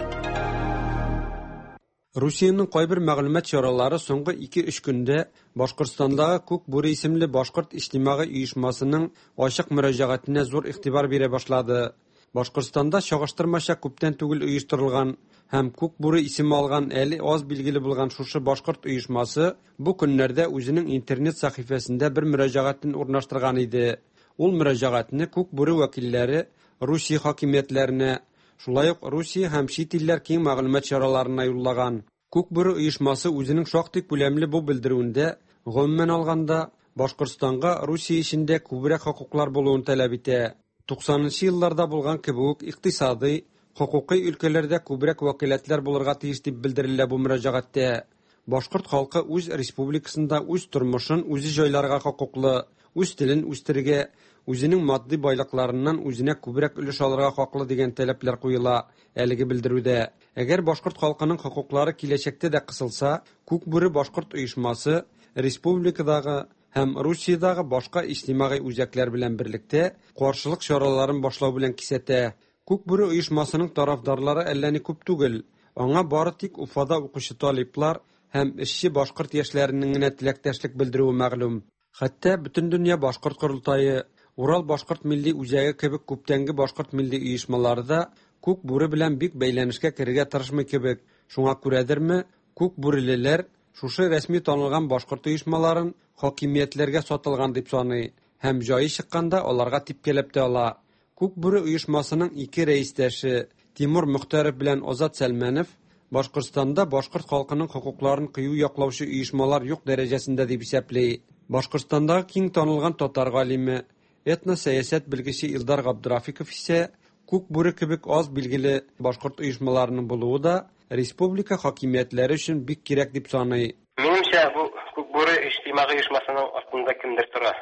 Русиянең кайбер мәгълүмат чаралары соңгы ике-өч көндә Башкортстандагы Күк бүре исемле башкорт иҗтимагый оешмасының ачык мөрәҗәгатенә зур игътибар бирә башлады. Башкортстанда чагыштырмача күптән түгел оештырылган һәм Күк бүре исеме алган әле аз билгеле булган шушы башкорт оешмасы бу көннәрдә үзенең интернет сәхифәсендә бер мөрәҗәгатен урнаштырган иде. Ул мөрәҗәгатьне Күк бүре вәкилләре Русия хакимиятләренә, шулай ук Русия һәм чит илләр киң мәгълүмат чараларына юллаган. Күк бүре оешмасы үзенең шактый күләмле бу белдерүендә, гомумән алганда, Башкортстанга Русия эчендә күбрәк хокуклар булуын таләп итә. Туксанынчы елларда булган кебек үк икътисадый, хокукый өлкәләрдә күбрәк вәкаләтләр булырга тиеш дип белдерелә бу мөрәҗәгатьтә. Башкорт халкы үз республикасында үз тормышын үзе җайларга хокуклы, үз телен үстерергә, үзенең матди байлыкларыннан үзенә күбрәк өлеш алырга хаклы дигән таләпләр куела әлеге белдерүдә. Әгәр башкорт халкының хокуклары киләчәктә дә кысылса, Күк бүре башкорт оешмасы республикадагы һәм Русиядагы башка иҗтимагый үзәкләр белән берлектә каршылык чараларын башлау белән кисәтә. Күк бүре оешмасының тарафдарлары әллә ни күп түгел. Аңа бары тик Уфада укучы талиплар һәм эшче башкорт яшьләренең генә теләктәшлек белдерүе мәгълүм. Хәтта Бөтендөнья башкорт корылтае, Урал башкорт милли үзәге кебек күптәнге башкорт милли оешмалары да Күк бүре белән бик бәйләнешкә керергә тырышмый кебек. Шуңа күрәдерме, Күк бүрелеләр шушы рәсми танылган башкорт оешмаларын хакимиятләргә сатылган дип саный һәм җае чыкканда аларга типкәләп тә ала. Күк бүре оешмасының ике рәистәше Тимур Мөхтәров белән Азат Сәлмәнов Башкортстанда башкорт халкының хокукларын кыю яклаучы оешмалар юк дәрәҗәсендә дип исәпли. Башкортстандагы киң танылган татар галиме, этносәясәт белгече Илдар Габдрафиков исә Күк бүре кебек аз билгеле башкорт оешмаларының булуы да республика хакимиятләре өчен бик кирәк дип саный. Минемчә, бу Күк бүре иҗтимагый оешмасының артында кемдер тора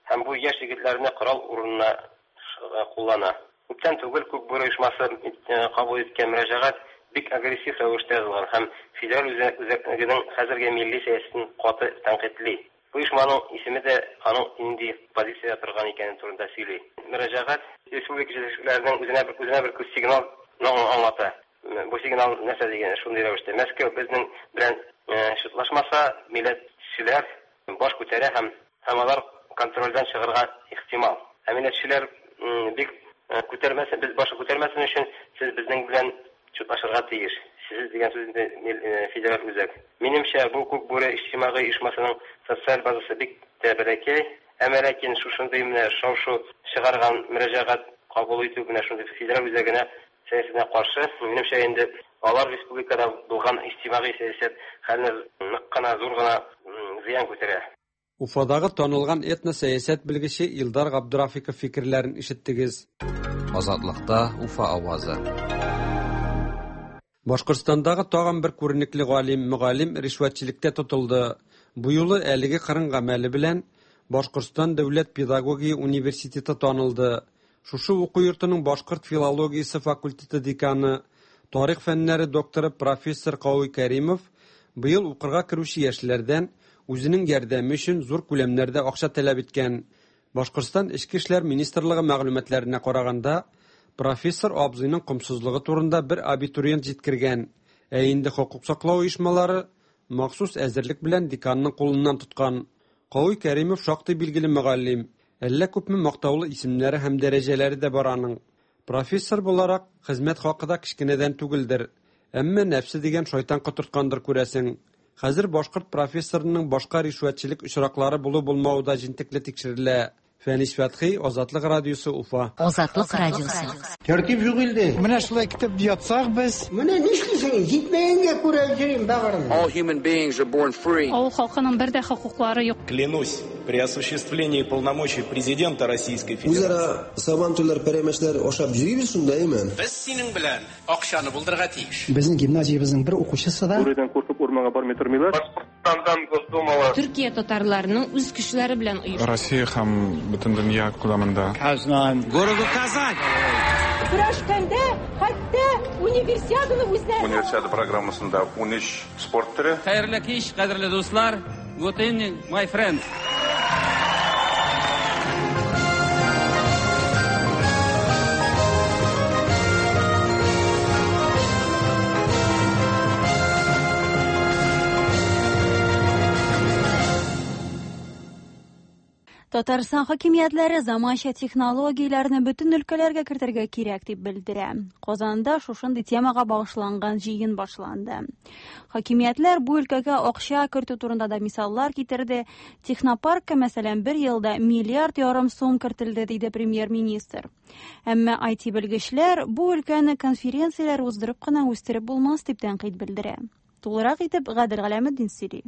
һәм бу яшь егетләрне корал урынына куллана. Күптән түгел Күк бүре оешмасы кабул иткән мөрәҗәгать бик агрессив рәвештә язылган һәм федераль үзәгенең хәзерге милли сәясәтен каты тәнкыйтьли. Бу оешманың исеме дә аның нинди позициядә торган икәнен турында сөйли. Мөрәҗәгать республика җитәкчеләренең үзенә бер үзенә бер сигнал аңлата. Бу сигнал нәрсә дигән? Шундый рәвештә Мәскәү безнең белән шутлашмаса, милләтчеләр баш күтәрә һәм һәм алар контрольдән чыгарга ихтимал. Ә милләтчеләр бик күтәрмәсен, без баш күтәрмәсен өчен сез безнең белән шутлашырга тиеш. Сез дигән сүз инде федераль үзәк. Минемчә, бу Күк бүре иҗтимагый оешмасының социаль базасы бик тә бәләкәй, әмма ләкин шушындый менә шау-шу чыгарган мөрәҗәгать кабул итү менә шундый федераль үзәгенә сәясәтенә каршы, минемчә инде алар республикада булган иҗтимагый сәясәт хәленә нык кына зур гына зыян күтәрә. Уфадагы танылган этносәясәт белгече Илдар Габдрафиков фикерләрен ишеттегез. Азатлыкта Уфа авазы. Башкортстандагы тагын бер күренекле галим, мөгаллим ришвәтчелектә тотылды. Бу юлы әлеге кырын гамәле белән Башкортстан дәүләт педагогия университеты танылды. Шушы уку йортының башкорт филологиясе факультеты деканы, тарих фәннәре докторы профессор Кауи Каримов быел укырга керүче яшьләрдән үзенең ярдәме өчен зур күләмнәрдә акча таләп иткән. Башкортстан Эчке эшләр министрлыгы мәгълүматларына караганда, профессор абзыйның комсызлыгы турында бер абитуриент җиткергән. Ә инде хокук саклау оешмалары махсус әзерлек белән деканның кулыннан тоткан. Кауи Каримов шактый билгеле мөгаллим, әллә күпме мактаулы исемнәре һәм дәрәҗәләре дә бар аның. Профессор буларак хезмәт хакы да кечкенәдән түгелдер, әмма нәфсе дигән шайтан котырткандыр күрәсең. Хәзер башкорт профессорының башка ришвәтчелек очраклары булу-булмавы да җентекле тикшерелә. Фәнис Фәтхи, Азатлык радиосы, Уфа. Азатлык радиосы. Тәртип юк инде. Менә шулай көтеп ятсак без. Менә нишлисең? Җитмәгәнгә күрә йөрим бәгырем. All human beings are born free. Авыл халкының бер дә хокуклары юк. Клянусь при осуществлении полномочий президента Российской Федерации. Үзара сабантуйлар, пәрәмәчләр ашап йөрибез шунда, әйме? Без синең белән акчаны булдырырга тиеш. Безнең гимназиябезнең бер укучысы да Бүредән куркып урманга бармый тормыйлар. Башкортстандан Госдумага. Төркия татарларының үз көчләре белән оештырылган. Россия һәм бөтен дөнья күләмендә. Казан. Городу Казань. Көрәшкәндә хәтта универсиаданы үзләре. Универсиада программасында ун өч спорт төре. Хәерле кич, кадерле дуслар. Good evening, my friends. Татарстан хакимиятләре заманча технологияләрне бөтен өлкәләргә кертергә кирәк дип белдерә. Казанда шушындый темага багышланган җыен башланды. Хакимиятләр бу өлкәгә акча кертү турында да мисаллар китерде. Технопаркка, мәсәлән, бер елда миллиард ярым сум кертелде, диде премьер-министр. Әмма ай ти белгечләр бу өлкәне конференцияләр уздырып кына үстереп булмас дип тәнкыйть белдерә. Тулырак итеп Гадел Галәметдин сөйли.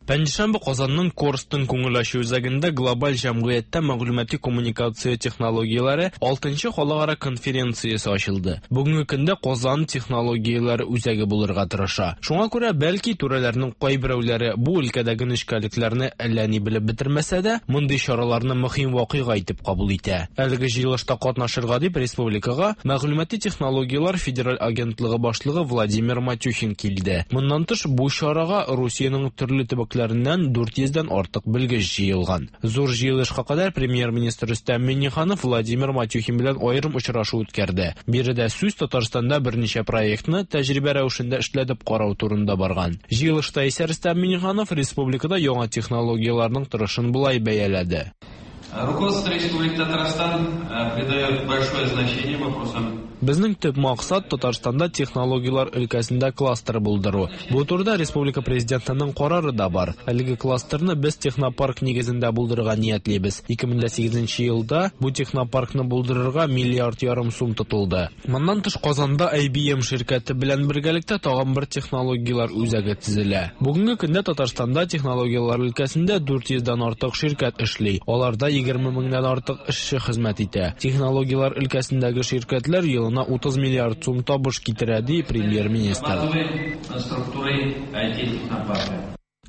Пәнҗешәмбе Казанның Корстон күңел ачу үзәгендә глобаль җәмгыятьтә мәгълүмати коммуникация технологияләре алтынчы халыкара конференциясе ачылды. Бүгенге көндә Казан технологияләре үзәге булырга тырыша. Шуңа күрә бәлки түрәләрнең кайберәүләре бу өлкәдәге нечкәлекләрне әллә ни белеп бетермәсә дә, мондый чараларны мөһим вакыйга итеп кабул итә. Әлеге җыелышта катнашырга дип республикага Мәгълүмати технологияләр федераль агентлыгы башлыгы Владимир Матюхин килде. Моннан тыш бу чарага Русиянең төрле төбәкләреннән дүрт йөздән артык белгеч җыелган. Зур җыелышка кадәр премьер-министр Рөстәм Миңнеханов Владимир Матюхин белән аерым очрашу үткәрде. Биредә сүз Татарстанда берничә проектны тәҗрибә рәвешендә эшләтеп карау турында барган. Җыелышта исә Рөстәм Миңнеханов республикада яңа технологияләрнең торышын болай бәяләде. Руководство Республики Татарстан придает большое значение вопросам. Безнең төп максат Татарстанда технологияләр өлкәсендә кластер булдыру. Бу турыда республика президентының карары да бар. Әлеге кластерны без технопарк нигезендә булдырырга ниятлибез. ике мең сигезенче елда бу технопаркны булдырырга миллиард ярым сум тотылды. Моннан тыш Казанда ай би эм ширкәте белән бергәлектә тагын бер технологияләр үзәге төзелә. Бүгенге көндә Татарстанда технологияләр өлкәсендә дүрт йөздән артык ширкәт эшли. Аларда егерме меңнән артык эшче хезмәт итә. Технологияләр өлкәсендәге ширкәтләр елына утыз миллиард сум табыш китерә, ди премьер-министр.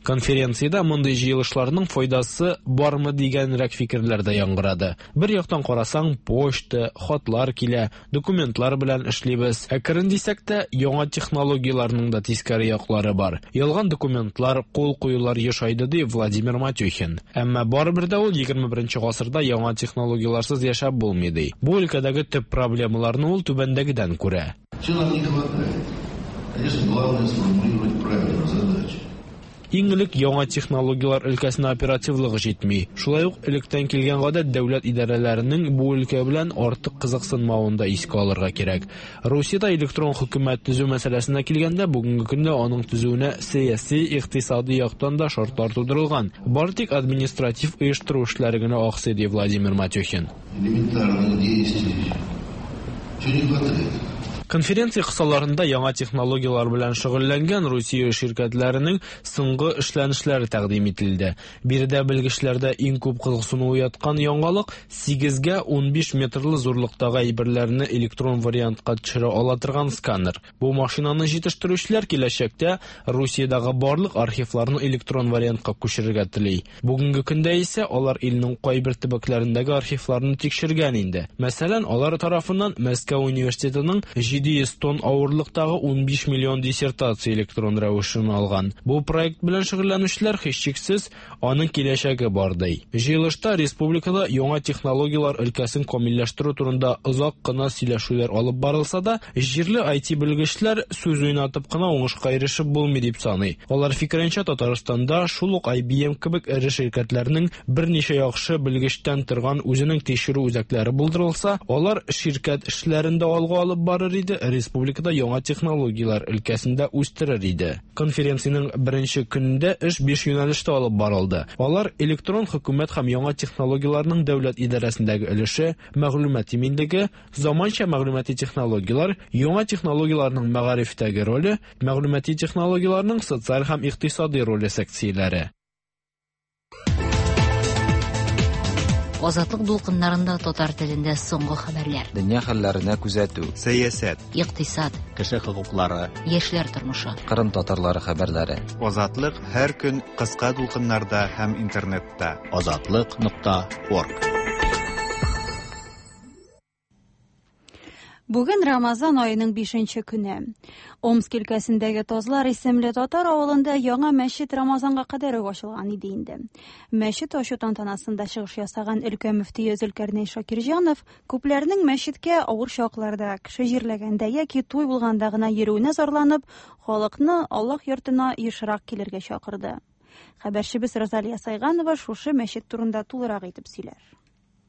Конференциядә мондый җыелышларның файдасы бармы дигәнрәк фикерләр дә яңгырады. Бер яктан карасаң, почта, хатлар килә, документлар белән эшлибез. Әкрен дисәк тә, яңа технологияләрнең дә тискәре яклары бар. Ялган документлар, кул куюлар ешайды, ди Владимир Матюхин. Әмма барыбер дә ул егерме беренче гасырда яңа технологияләрсез яшәп булмый, ди. Бу өлкәдәге төп проблемаларны ул түбәндәгедән күрә. Чего нам не хватает? Конечно, главное сформулировать правильно задачи. Иң элек яңа технологияләр өлкәсенә оперативлыгы җитми. Шулай ук электән килгән гадәт дәүләт идарәләренең бу өлкә белән артык кызыксынмавын да искә алырга кирәк. Русиядә электрон хөкүмәт төзү мәсьәләсенә килгәндә, бүгенге көндә аның төзүенә сәяси, икътисади яктан да шартлар тудырылган. Бары тик административ оештыру эшләре генә аксый, ди Владимир Матюхин. Элементарных действий. Чего не хватает? Конференция кысаларында яңа технологияләр белән шөгыльләнгән Русия ширкәтләренең соңгы эшләнешләре тәкъдим ителде. Биредә белгечләрдә иң күп кызыксыну уяткан яңалык сигезгә унбиш метрлы зурлыктагы әйберләрне электрон вариантка төшерә ала торган сканер. Бу машинаны җитештерүчеләр киләчәктә Русиядәге барлык архивларны электрон вариантка күчерергә тели. Бүгенге көндә исә алар илнең кайбер төбәкләрендәге архивларны тикшергән инде. Мәсәлән, алар тарафыннан Мәскәү университетының җиде йөз тонн авырлыктагы унбиш миллион диссертация электрон рәвешен алган. Бу проект белән шөгыльләнүчеләр һичшиксез аның киләчәге бар, ди. Җыелышта республикада яңа технологияләр өлкәсен камилләштерү турында озак кына сөйләшүләр алып барылса да, җирле ай ти белгечләр сүз уйнатып кына уңышка ирешеп булмый дип саный. Алар фикеренчә, Татарстанда шул ук ай би эм кебек эре ширкәтләрнең берничә яхшы белгечтән торган үзенең тикшерү үзәкләре булдырылса, алар ширкәт эшләрен дә алга алып барыр иде иде, республикада яңа технологияләр өлкәсендә үстерер иде. Конференциянең беренче көнендә эш биш юнәлештә алып барылды. Алар электрон хөкүмәт һәм яңа технологияләрнең дәүләт идарәсендәге өлеше, мәгълүмат иминлеге, заманча мәгълүмати технологияләр, яңа технологияләрнең мәгарифтәге роле, мәгълүмати технологияләрнең социаль һәм икътисади роле секцияләре. Азатлык дулкыннарында татар телендә соңгы хәбәрләр. Дөнья хәлләренә күзәтү. Сәясәт. Икътисад. Кеше хокуклары. Яшьләр тормышы. Кырым татарлары хәбәрләре. Азатлык һәр көн кыска дулкыннарда һәм интернетта. Азатлык нокта орг. Бүген Рамазан аеның бишенче көне. Омск өлкәсендәге Тазлар исемле татар авылында яңа мәчет Рамазанга кадәр үк ачылган иде инде. Мәчет ачу тантанасында чыгыш ясаган өлкә мөфтие Зөлкәрнәй Шакирҗанов күпләрнең мәчеткә авыр чакларда, кеше җирләгәндә яки туй булганда гына йөрүенә зарланып, халыкны Аллаһ йортына ешрак килергә чакырды. Хәбәрчебез Розалия Сайганова шушы мәчет турында тулырак итеп сөйләр.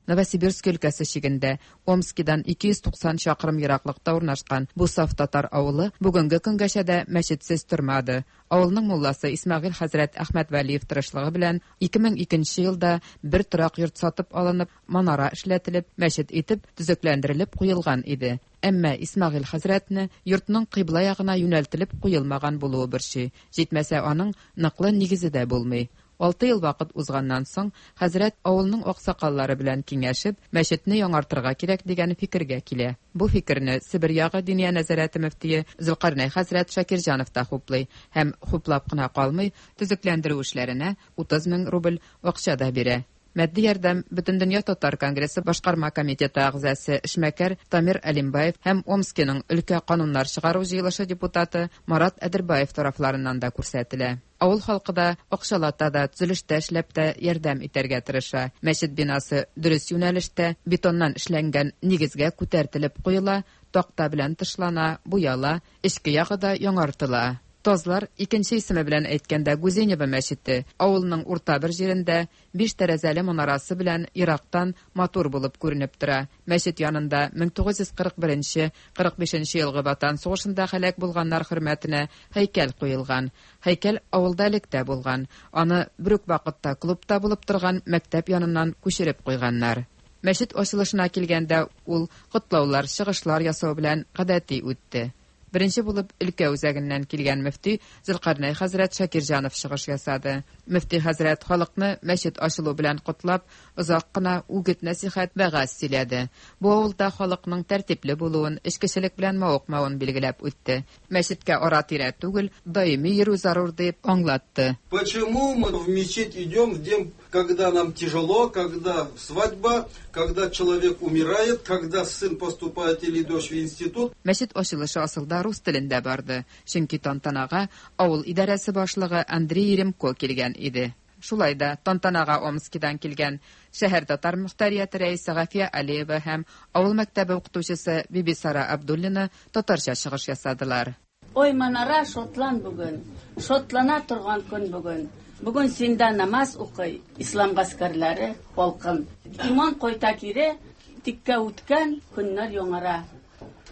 Новосибирск өлкәсе чигендә Омскидан ике йөз туксан чакрым ераклыкта урнашкан бу саф татар авылы бүгенге көнгәчә дә мәчетсез тормады. Авылның мулласы Исмәгыйль хәзрәт Әхмәтвәлиев тырышлыгы белән ике мең икенче елда бер торак йорт сатып алынып, манара эшләтелеп, мәчет итеп төзекләндерелеп куелган иде. Әмма Исмәгыйль хәзрәтне йортның кыйбла ягына юнәлтелеп куелмаган булуы борчый. Җитмәсә, аның ныклы нигезе дә булмый. Алты ел вакыт узганнан соң, хәзрәт авылның аксакаллары белән киңәшеп, мәчетне яңартырга кирәк дигән фикергә килә. Бу фикерне Себер ягы Диния нәзарәте мөфтие Зөлкарнәй хәзрәт Шакирҗанов та хуплый һәм хуплап кына калмый, төзекләндерү эшләренә утыз мең рубль акча да бирә. Матди ярдәм Бөтендөнья татар конгрессы башкарма комитеты әгъзасы эшмәкәр Тамир Алимбаев һәм Омскиның өлкә кануннар чыгару җыелышы депутаты Марат Әдербаев тарафларыннан да күрсәтелә. Авыл халкы да акчалата да, төзелештә эшләп тә ярдәм итәргә тырыша. Мәчет бинасы дөрес юнәлештә бетоннан эшләнгән нигезгә күтәртелеп куела, такта белән тышлана, буяла, эчке ягы да яңартыла. Тазлар, икенче исеме белән әйткәндә Гузенево мәчете, авылның урта бер җирендә биш тәрәзәле манарасы белән ерактан матур булып күренеп тора. Мәчет янында мең тугыз йөз кырык беренче кырык бишенче елгы Ватан сугышында һәлак булганнар хөрмәтенә һәйкәл куелган. Һәйкәл авылда электә булган. Аны бер үк вакытта клубта булып торган мәктәп яныннан күчереп куйганнар. Мәчет ачылышына килгәндә ул котлаулар, чыгышлар ясау белән гадәти үтте. Беренче булып өлкә үзәгеннән килгән мөфти Зөлкарнәй хәзрәт Шакирҗанов чыгыш ясады. Мөфти хәзрәт халыкны мәчет ачылу белән котлап, озак кына үгет нәсихәт вәгазь сөйләде. Бу авылда халыкның тәртипле булуын, эчкечелек белән мавыкмавын билгеләп үтте. Мәчеткә ара-тирә түгел, даими йөрү зарур дип аңлатты. Почему мы в мечеть идем в день, когда нам тяжело, когда свадьба, когда человек умирает, когда сын поступает или дочь в институт? Мәчет ачылышы асылда рус телендә барды. Чөнки тантанага авыл идарәсе башлыгы Андрей Еремко килгән иде. Шулай да тантанага Омскидан килгән шәһәр татар мөхтәрияте рәисе Гафия Алиева һәм авыл мәктәбе укытучысы Бибисара Абдуллина татарча чыгыш ясадылар. Ой, манара шотлан бүген, шотлана торган көн бүген. Бүген синдә намаз укый, ислам гаскәрләре полкын. Иман кайта кире, тиккә үткән көннәр яңара.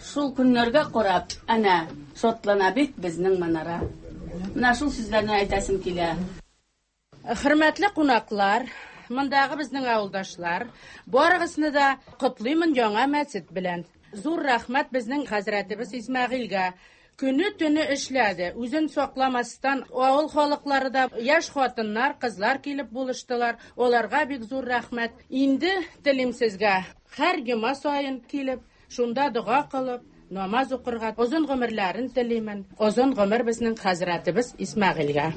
Шул көннәргә карап, әнә, шотлана бит безнең манара. Менә шул сүзләрне әйтәсем килә. Хөрмәтле кунаклар, мондагы безнең авылдашлар, барыгызны да котлыймын яңа мәчет белән. Зур рәхмәт безнең хәзрәтебез Исмәгыйльгә. Көне төне эшләде, үзен сакламастан авыл халыклары да, яшь хатыннар, кызлар килеп булыштылар. Аларга бик зур рәхмәт. Инде телим сезгә, һәр җомга саен килеп, шунда дога кылып, намаз укырга озын гомерләрен телимен. Озын гомер безнең хәзрәтебез Исмәгыйльгә.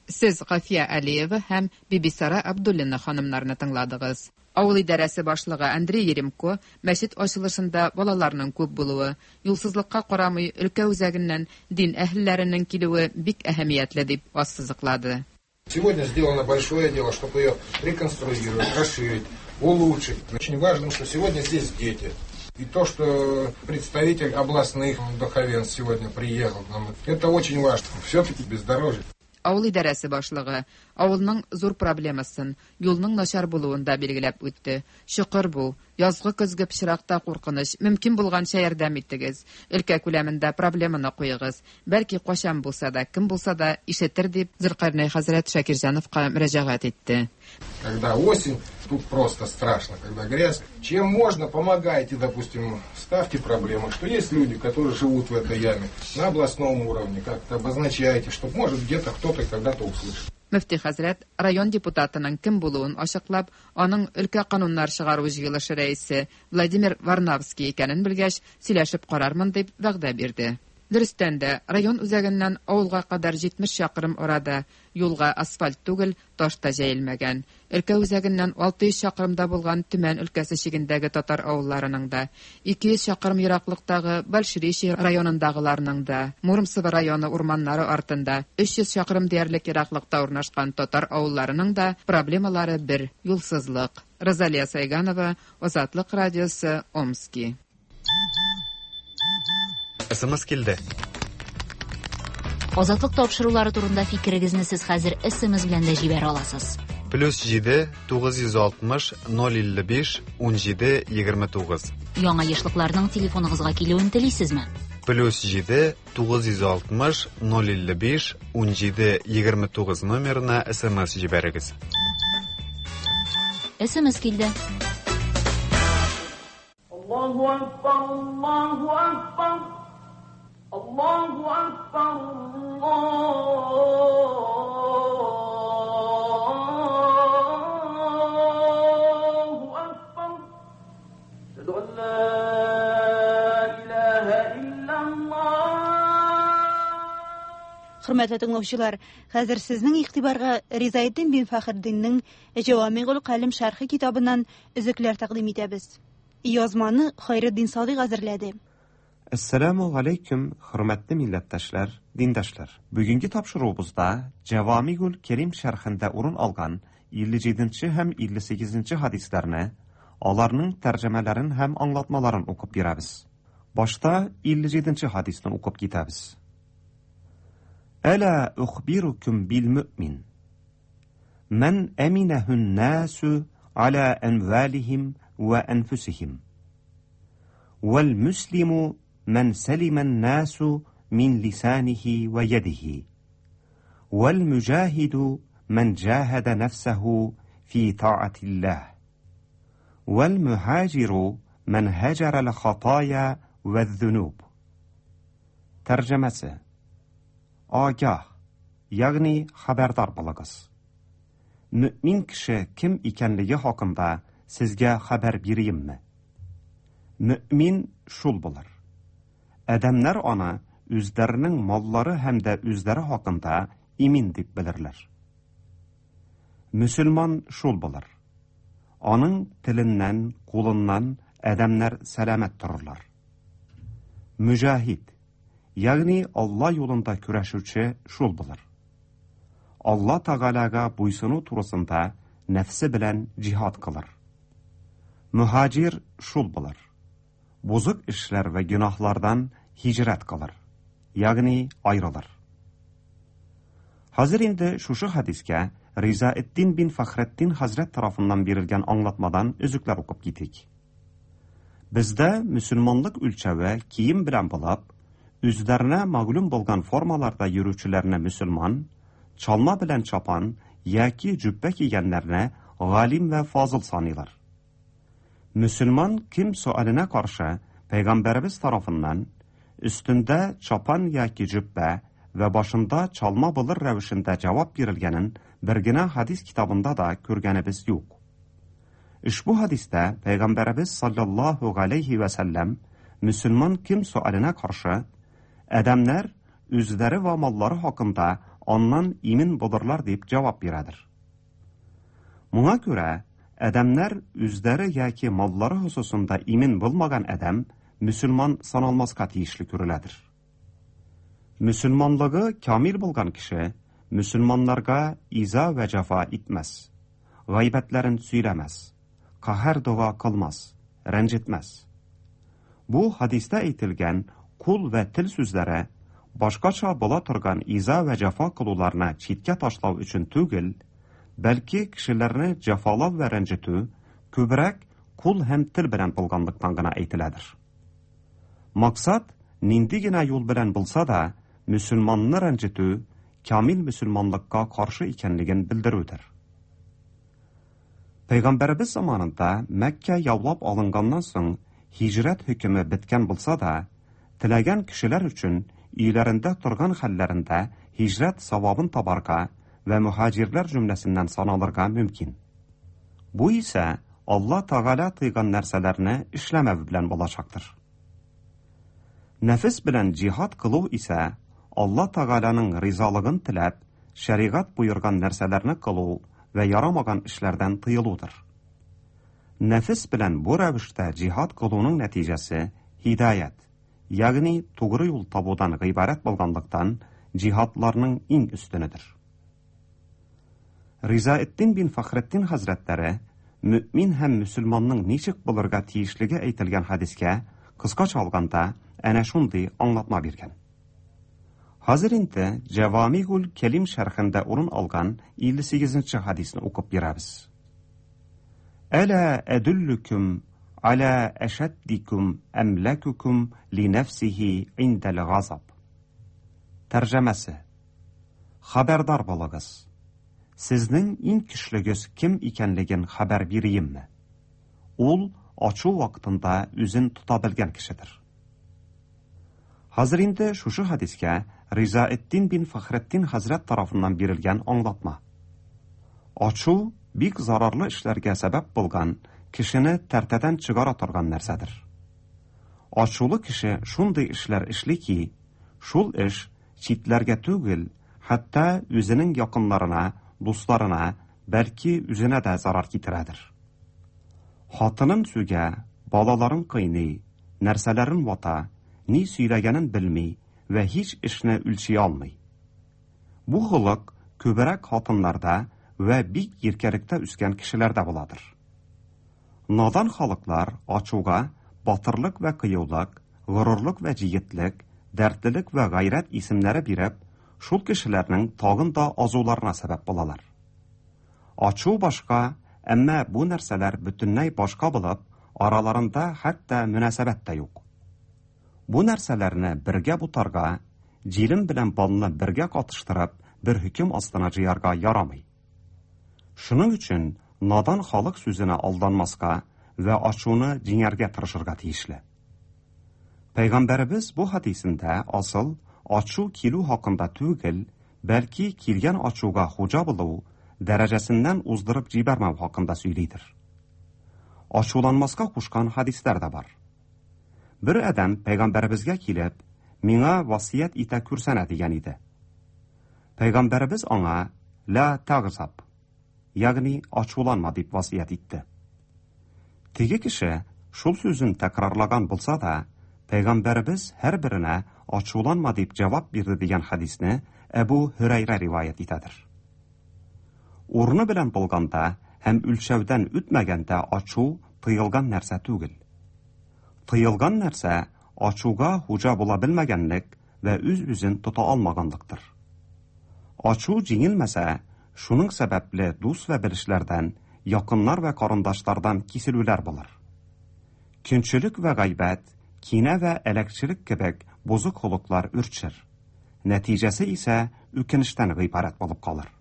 Сез Гафия Алиева һәм Бибисара Абдуллина ханымнарны тыңладыгыз. Авыл идарәсе башлыгы Андрей Еремко мәчет ачылышында балаларның күп булуы, юлсызлыкка карамый өлкә үзәгеннән дин әһелләренең килүе бик әһәмиятле дип ассызыклады. Сегодня сделано большое дело, чтобы ее реконструировать, расширить, улучшить. Очень важно, что сегодня здесь дети. И то, что представитель областных духовенств сегодня приехал к нам, это очень важно. Все-таки бездорожье. Авыл идарәсе башлыгы авылның зур проблемасын, юлның начар булуын да билгеләп үтте. Чокыр бу, язгы көзге пычракта куркыныч, мөмкин булганча ярдәм итегез. Өлкә күләмендә проблеманы куегыз. Бәлки кайчан булса да, кем булса да ишетер дип Зөлкарнәй хәзрәт Шакирҗановка мөрәҗәгать итте. Когда осень, тут просто страшно, когда грязь. Чем можно, помогайте, допустим, ставьте проблемы, что есть люди, которые живут в этой яме на областном уровне, как-то обозначайте, чтобы, может, где-то кто-то когда-то услышит. Мөфти хәзрәт район депутатының кем булуын ачыклап, аның өлкә кануннар чыгару җыелышы рәисе Владимир Варнавский икәнен белгәч, сөйләшеп карармын дип вәгъдә бирде. Дөрестән дә, район үзәгеннән авылга кадәр җитмеш чакрым арада юлга асфальт түгел, таш та җәелмәгән. Өлкә үзәгеннән алты йөз чакрымда булган Төмән өлкәсе чигендәге татар авылларының да, ике йөз чакрым ераклыктагы Большеречье районындагыларның да, Муромцево районы урманнары артында өч йөз чакрым диярлек ераклыкта урнашкан татар авылларының да проблемалары бер юлсызлык. Розалия Сайганова, Азатлык радиосы, Омски. СМС килде. Азатлык тапшырулары турында фикерегезне сез хәзер СМС белән дә җибәрә аласыз. Плюс җиде тугыз йөз алтмыш ноль илле биш ун җиде егерме тугыз. Яңа ешлыкларның телефоныгызга килүен телисезме? Плюс җиде тугыз йөз алтмыш ноль илле биш ун җиде егерме тугыз номерына СМС җибәрегез. СМС килде. Аллаһу акбар, Аллаһу акбар. Аллаһу акбар, Аллаһу акбар. Әшһәду ан ла илаһа иллаллаһ. Хөрмәтле тыңлаучылар, хәзер сезнең игътибарга Ризаэддин бин Фәхретдиннең Җавамигул Калим шәрхе китабыннан өзекләр тәкъдим итәбез. Язманы Хайретдин Садыйк әзерләде. Әссәламу алейкум, хөрмәтле милләттәшләр, диндәшләр. Бүгенге тапшыруыбызда Җавамигул Кәрим шәрхендә урын алган илле җиденче һәм илле сигезенче хадисләрне, аларның тәрҗемәләрен һәм аңлатмаларын укып бирәбез. Башта илле җиденче хадисны укып китәбез. Әла ухбирукум бил мөмин. Мән әминәһүн насу аля әмвалихим ва әнфусихим. Вәл муслиму من سلم الناس من لسانه ويده والمجاهد من جاهد نفسه في طاعة الله والمهاجر من هجر الخطايا والذنوب. Тәрҗемәсе: Агah, ягъни хәбәрдар булыгыз. Мөмин кеше кем икәнлеге хакында сезгә хәбәр бирәемме? Мөмин шул булыр. Адәмнәр аны үзләренең маллары һәм дә үзләре хакында имин дип белерләр. Мөселман шул булыр. Аның теленнән, кулыннан адәмнәр сәламәт торырлар. Мөҗаһид, ягъни Алла юлында көрәшүче шул булыр. Алла Тәгаләгә буйсыну турысында нәфсе белән җиһад кылыр. Мөһаҗир шул булыр. Бозык эшләр вә гөнаһлардан һиҗрәт кылыр, ягъни айрылыр. Хәзер инде шушы хадискә Ризаэддин бин Фәхретдин хәзрәт тарафыннан бирелгән аңлатмадан өзекләр укып китик. Бездә мөселманлык үлчәве кием белән булып, үзләренә мәгълүм булган формаларда йөрүчеләрне мөселман, чалма белән чапан яки җөббә кигәннәрне галим вә фазыл саныйлар. Мөселман кем суаленә каршы пәйгамбәребез тарафыннан өстендә чапан яки җөббә вә башында чалма булыр рәвешендә җавап бирелгәнен бер генә хадис китабында да күргәнебез юк. Ошбу хадистә пәйгамбәребез саллаллаһу галәйһи вә сәлләм мөселман кем суаленә каршы адәмнәр үзләре вә маллары хакында аннан имин булырлар дип җавап бирәдер. Моңа күрә адәмнәр үзләре яки маллары хосусында имин булмаган адәм мөселман саналмаска тиешле күреләдер. Мөселманлыгы камил булган кеше мөселманнарга иза вә җәфа итмәс, гайбәтләрен сөйләмәс, каһәр дога кылмас, рәнҗетмәс. Бу хадистә әйтелгән кул вә тел сүзләре Башкача була торган иза вә җәфа кылуларны читкә ташлау өчен түгел, бәлки кешеләрне җәфалау вә рәнҗетү күбрәк кул һәм тел белән булганлыктан гына әйтеләдер. Максат нинди генә юл белән булса да, мөселманны рәнҗетү камил мөселманлыкка каршы икәнлеген белдерүдер. Пәйгамбәребез заманында Мәккә яулап алынганнан соң һиҗрәт хөкеме беткән булса да, теләгән кешеләр өчен өйләрендә торган хәлләрендә һиҗрәт савабын табарга вә мөһаҗирләр җөмләсеннән саналырга мөмкин. Бу исә Алла Тәгалә тыйган нәрсәләрне эшләмәү белән булачактыр. Нәфес белән җиһад кылу исә Алла Тәгаләнең ризалыгын теләп, шәригать боерган нәрсәләрне кылу вә ярамаган эшләрдән тыелудыр. Нәфес белән бу рәвештә җиһад кылуның нәтиҗәсе һидаят, ягъни тугры юл табудан гыйбарәт булганлыктан җиһадларның иң өстенедер. Ризаэддин бин Фәхретдин хәзрәтләре мөмин һәм мөселманның ничек булырга тиешлеге әйтелгән хәдискә кыскача алганда әнә шундый аңлатма биргән. Хәзер инде Җәвамигул Кәлим шәрхендә урын алган илле сигезенче хәдисне укып бирәбез. Әлә әдүллүкүм аля әшәддикүм әмләкүкүм ли нәфсихи индәл газаб. Тәрҗемәсе: Хәбәрдар булыгыз. Сезнең иң көчлегез кем икәнлеген хәбәр бирәемме? Ул ачу вакытында үзен тота белгән кешедер. Хәзер инде шушы хәдискә Ризаэддин бин Фәхретдин хәзрәт тарафыннан бирелгән аңлатма. Ачу бик зарарлы эшләргә сәбәп булган, кешене тәртәдән чыгара торган нәрсәдер. Ачулы кеше шундый эшләр эшли ки, шул эш читләргә түгел, хәтта үзенең якыннарына, дусларына, бәлки үзенә дә зарар китерәдер. Хатынын сүгә, балаларын кыйный, нәрсәләрен вата, ни сөйләгәнен белми вә һич эшне үлчи алмый. Бу холык күбрәк хатыннарда вә бик иркәлектә үскән кешеләрдә буладыр. Надан халыклар ачуга батырлык вә кыюлык, горурлык вә җегетлек, дәртлелек вә гайрәт исемнәре биреп, шул кешеләрнең тагын да азуларына сәбәп булалар. Ачу башка, әмма бу нәрсәләр бөтенләй башка булып, араларында хәтта мөнәсәбәт тә юк. Бу нәрсәләрне бергә бутарга, җилем белән балны бергә катыштырып, бер хөкем астына җыярга ярамый. Шуның өчен надан халык сүзенә алданмаска вә ачуны җиңәргә тырышырга тиешле. Пәйгамбәребез бу хәдисендә асыл ачу килү хакында түгел, бәлки килгән ачуга хуҗа булу дәрәҗәсеннән уздырып җибәрмәү хакында сөйлидер. Ачуланмаска кушкан хәдисләр дә бар. Бер адәм пәйгамбәребезгә килеп, миңа васыять итә күрсәнә дигән иде. Пәйгамбәребез аңа ла тагзаб, ягъни ачуланма дип васыять итте. Теге кеше шул сүзен тәкрарлаган булса да, пәйгамбәребез һәрберенә ачуланма дип җавап бирде дигән хәдисне Әбу Һөрәйрә риваять итәдер. Урыны белән булганда һәм үлчәүдән үтмәгәндә ачу тыелган нәрсә түгел. Тыелган нәрсә ачуга хуҗа була белмәгәнлек вә үз-үзен тота алмаганлыктыр. Ачу җиңелмәсә, шуның сәбәпле дус вә белешләрдән, якыннар вә карындашлардан киселүләр булыр. Көнчелек вә гайбәт, кинә вә әләкчелек кебек бозык холыклар үрчер. Нәтиҗәсе исә үкенештән гыйбарәт булып калыр.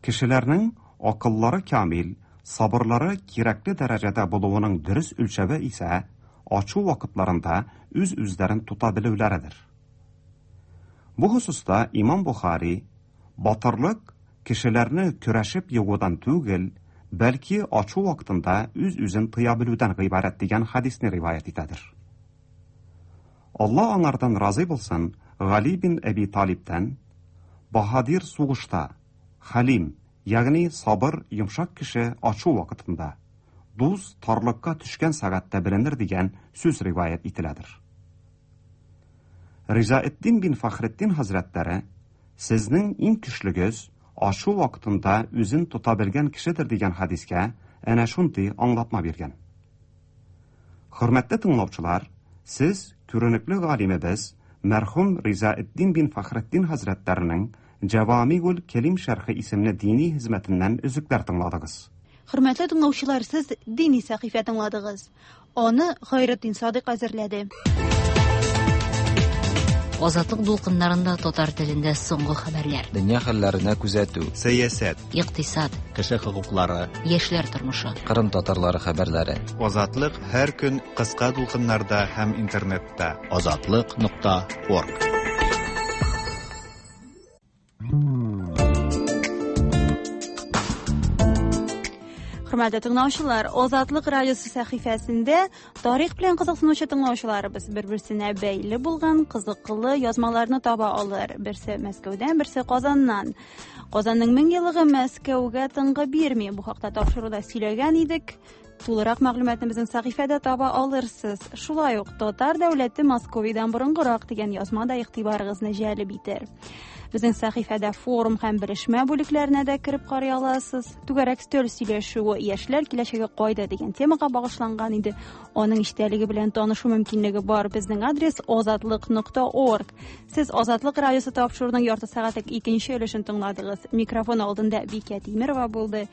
Кешеләрнең акыллары камил, сабырлары кирәкле дәрәҗәдә булуының дөрес үлчәве исә ачу вакытларында үз-үзләрен тота белүләредер. Бу хосуста Имам Бухари батырлык кешеләрне көрәшеп егудан түгел, бәлки ачу вакытында үз-үзен тыя белүдән гыйбарәт дигән хәдисне риваять итәдер. Алла аңардан разый булсын, Гали бин Әби Талибтән баһадир сугышта, хәлим, ягъни сабыр, йомшак кеше ачу вакытында, дус тарлыкка төшкән сәгатьтә беленер дигән сүз риваять ителәдер. Ризаэддин бин Фәхретдин хәзрәтләре сезнең иң көчлегез ачу вакытында үзен тота белгән кешедер дигән хәдискә әнә шундый аңлатма биргән. Хөрмәтле тыңлаучылар, сез күренекле галимебез Мәрхүм Ризаэддин бин Фәхретдин хәзрәтләренең Җавамигул Кәлим шәрхе исемле дини хезмәтеннән өзекләр тыңладыгыз. Хөрмәтле тыңлаучылар, сез дини сәхифә тыңладыгыз. Аны Хайретдин Садык әзерләде. Азатлык дулкыннарында татар телендә соңгы хәбәрләр. Дөнья хәлләренә күзәтү. Сәясәт. Икътисад. Кеше хокуклары. Яшьләр тормышы. Кырым татарлары хәбәрләре. Азатлык һәр көн кыска дулкыннарда һәм интернетта. Азатлык нокта орг. Хөрмәтле тыңлаучылар, Азатлык радиосы сәхифәсендә тарих белән кызыксынучы тыңлаучыларыбыз бер-берсенә бәйле булган кызыклы язмаларны таба алыр. Берсе Мәскәүдән, берсе Казаннан. Казанның мең еллыгы Мәскәүгә тынгы бирми. Бу хакта тапшыруда сөйләгән идек. Тулырак мәгълүматны безнең сәхифәдә таба алырсыз. Шулай ук Татар дәүләте Московиядән борынгырак дигән язма да игътибарыгызны җәлеп итәр. Безнең сәхифәдә форум һәм белешмә бүлекләренә дә кереп карый аласыз. Түгәрәк өстәл сөйләшүе яшьләр киләчәге кайда дигән темага багышланган иде. Аның эчтәлеге белән танышу мөмкинлеге бар. Безнең адрес азатлык нокта орг. Сез Азатлык радиосы тапшыруының ярты сәгатьлек икенче өлешен тыңладыгыз. Микрофон алдында Бикә Тимирова булды.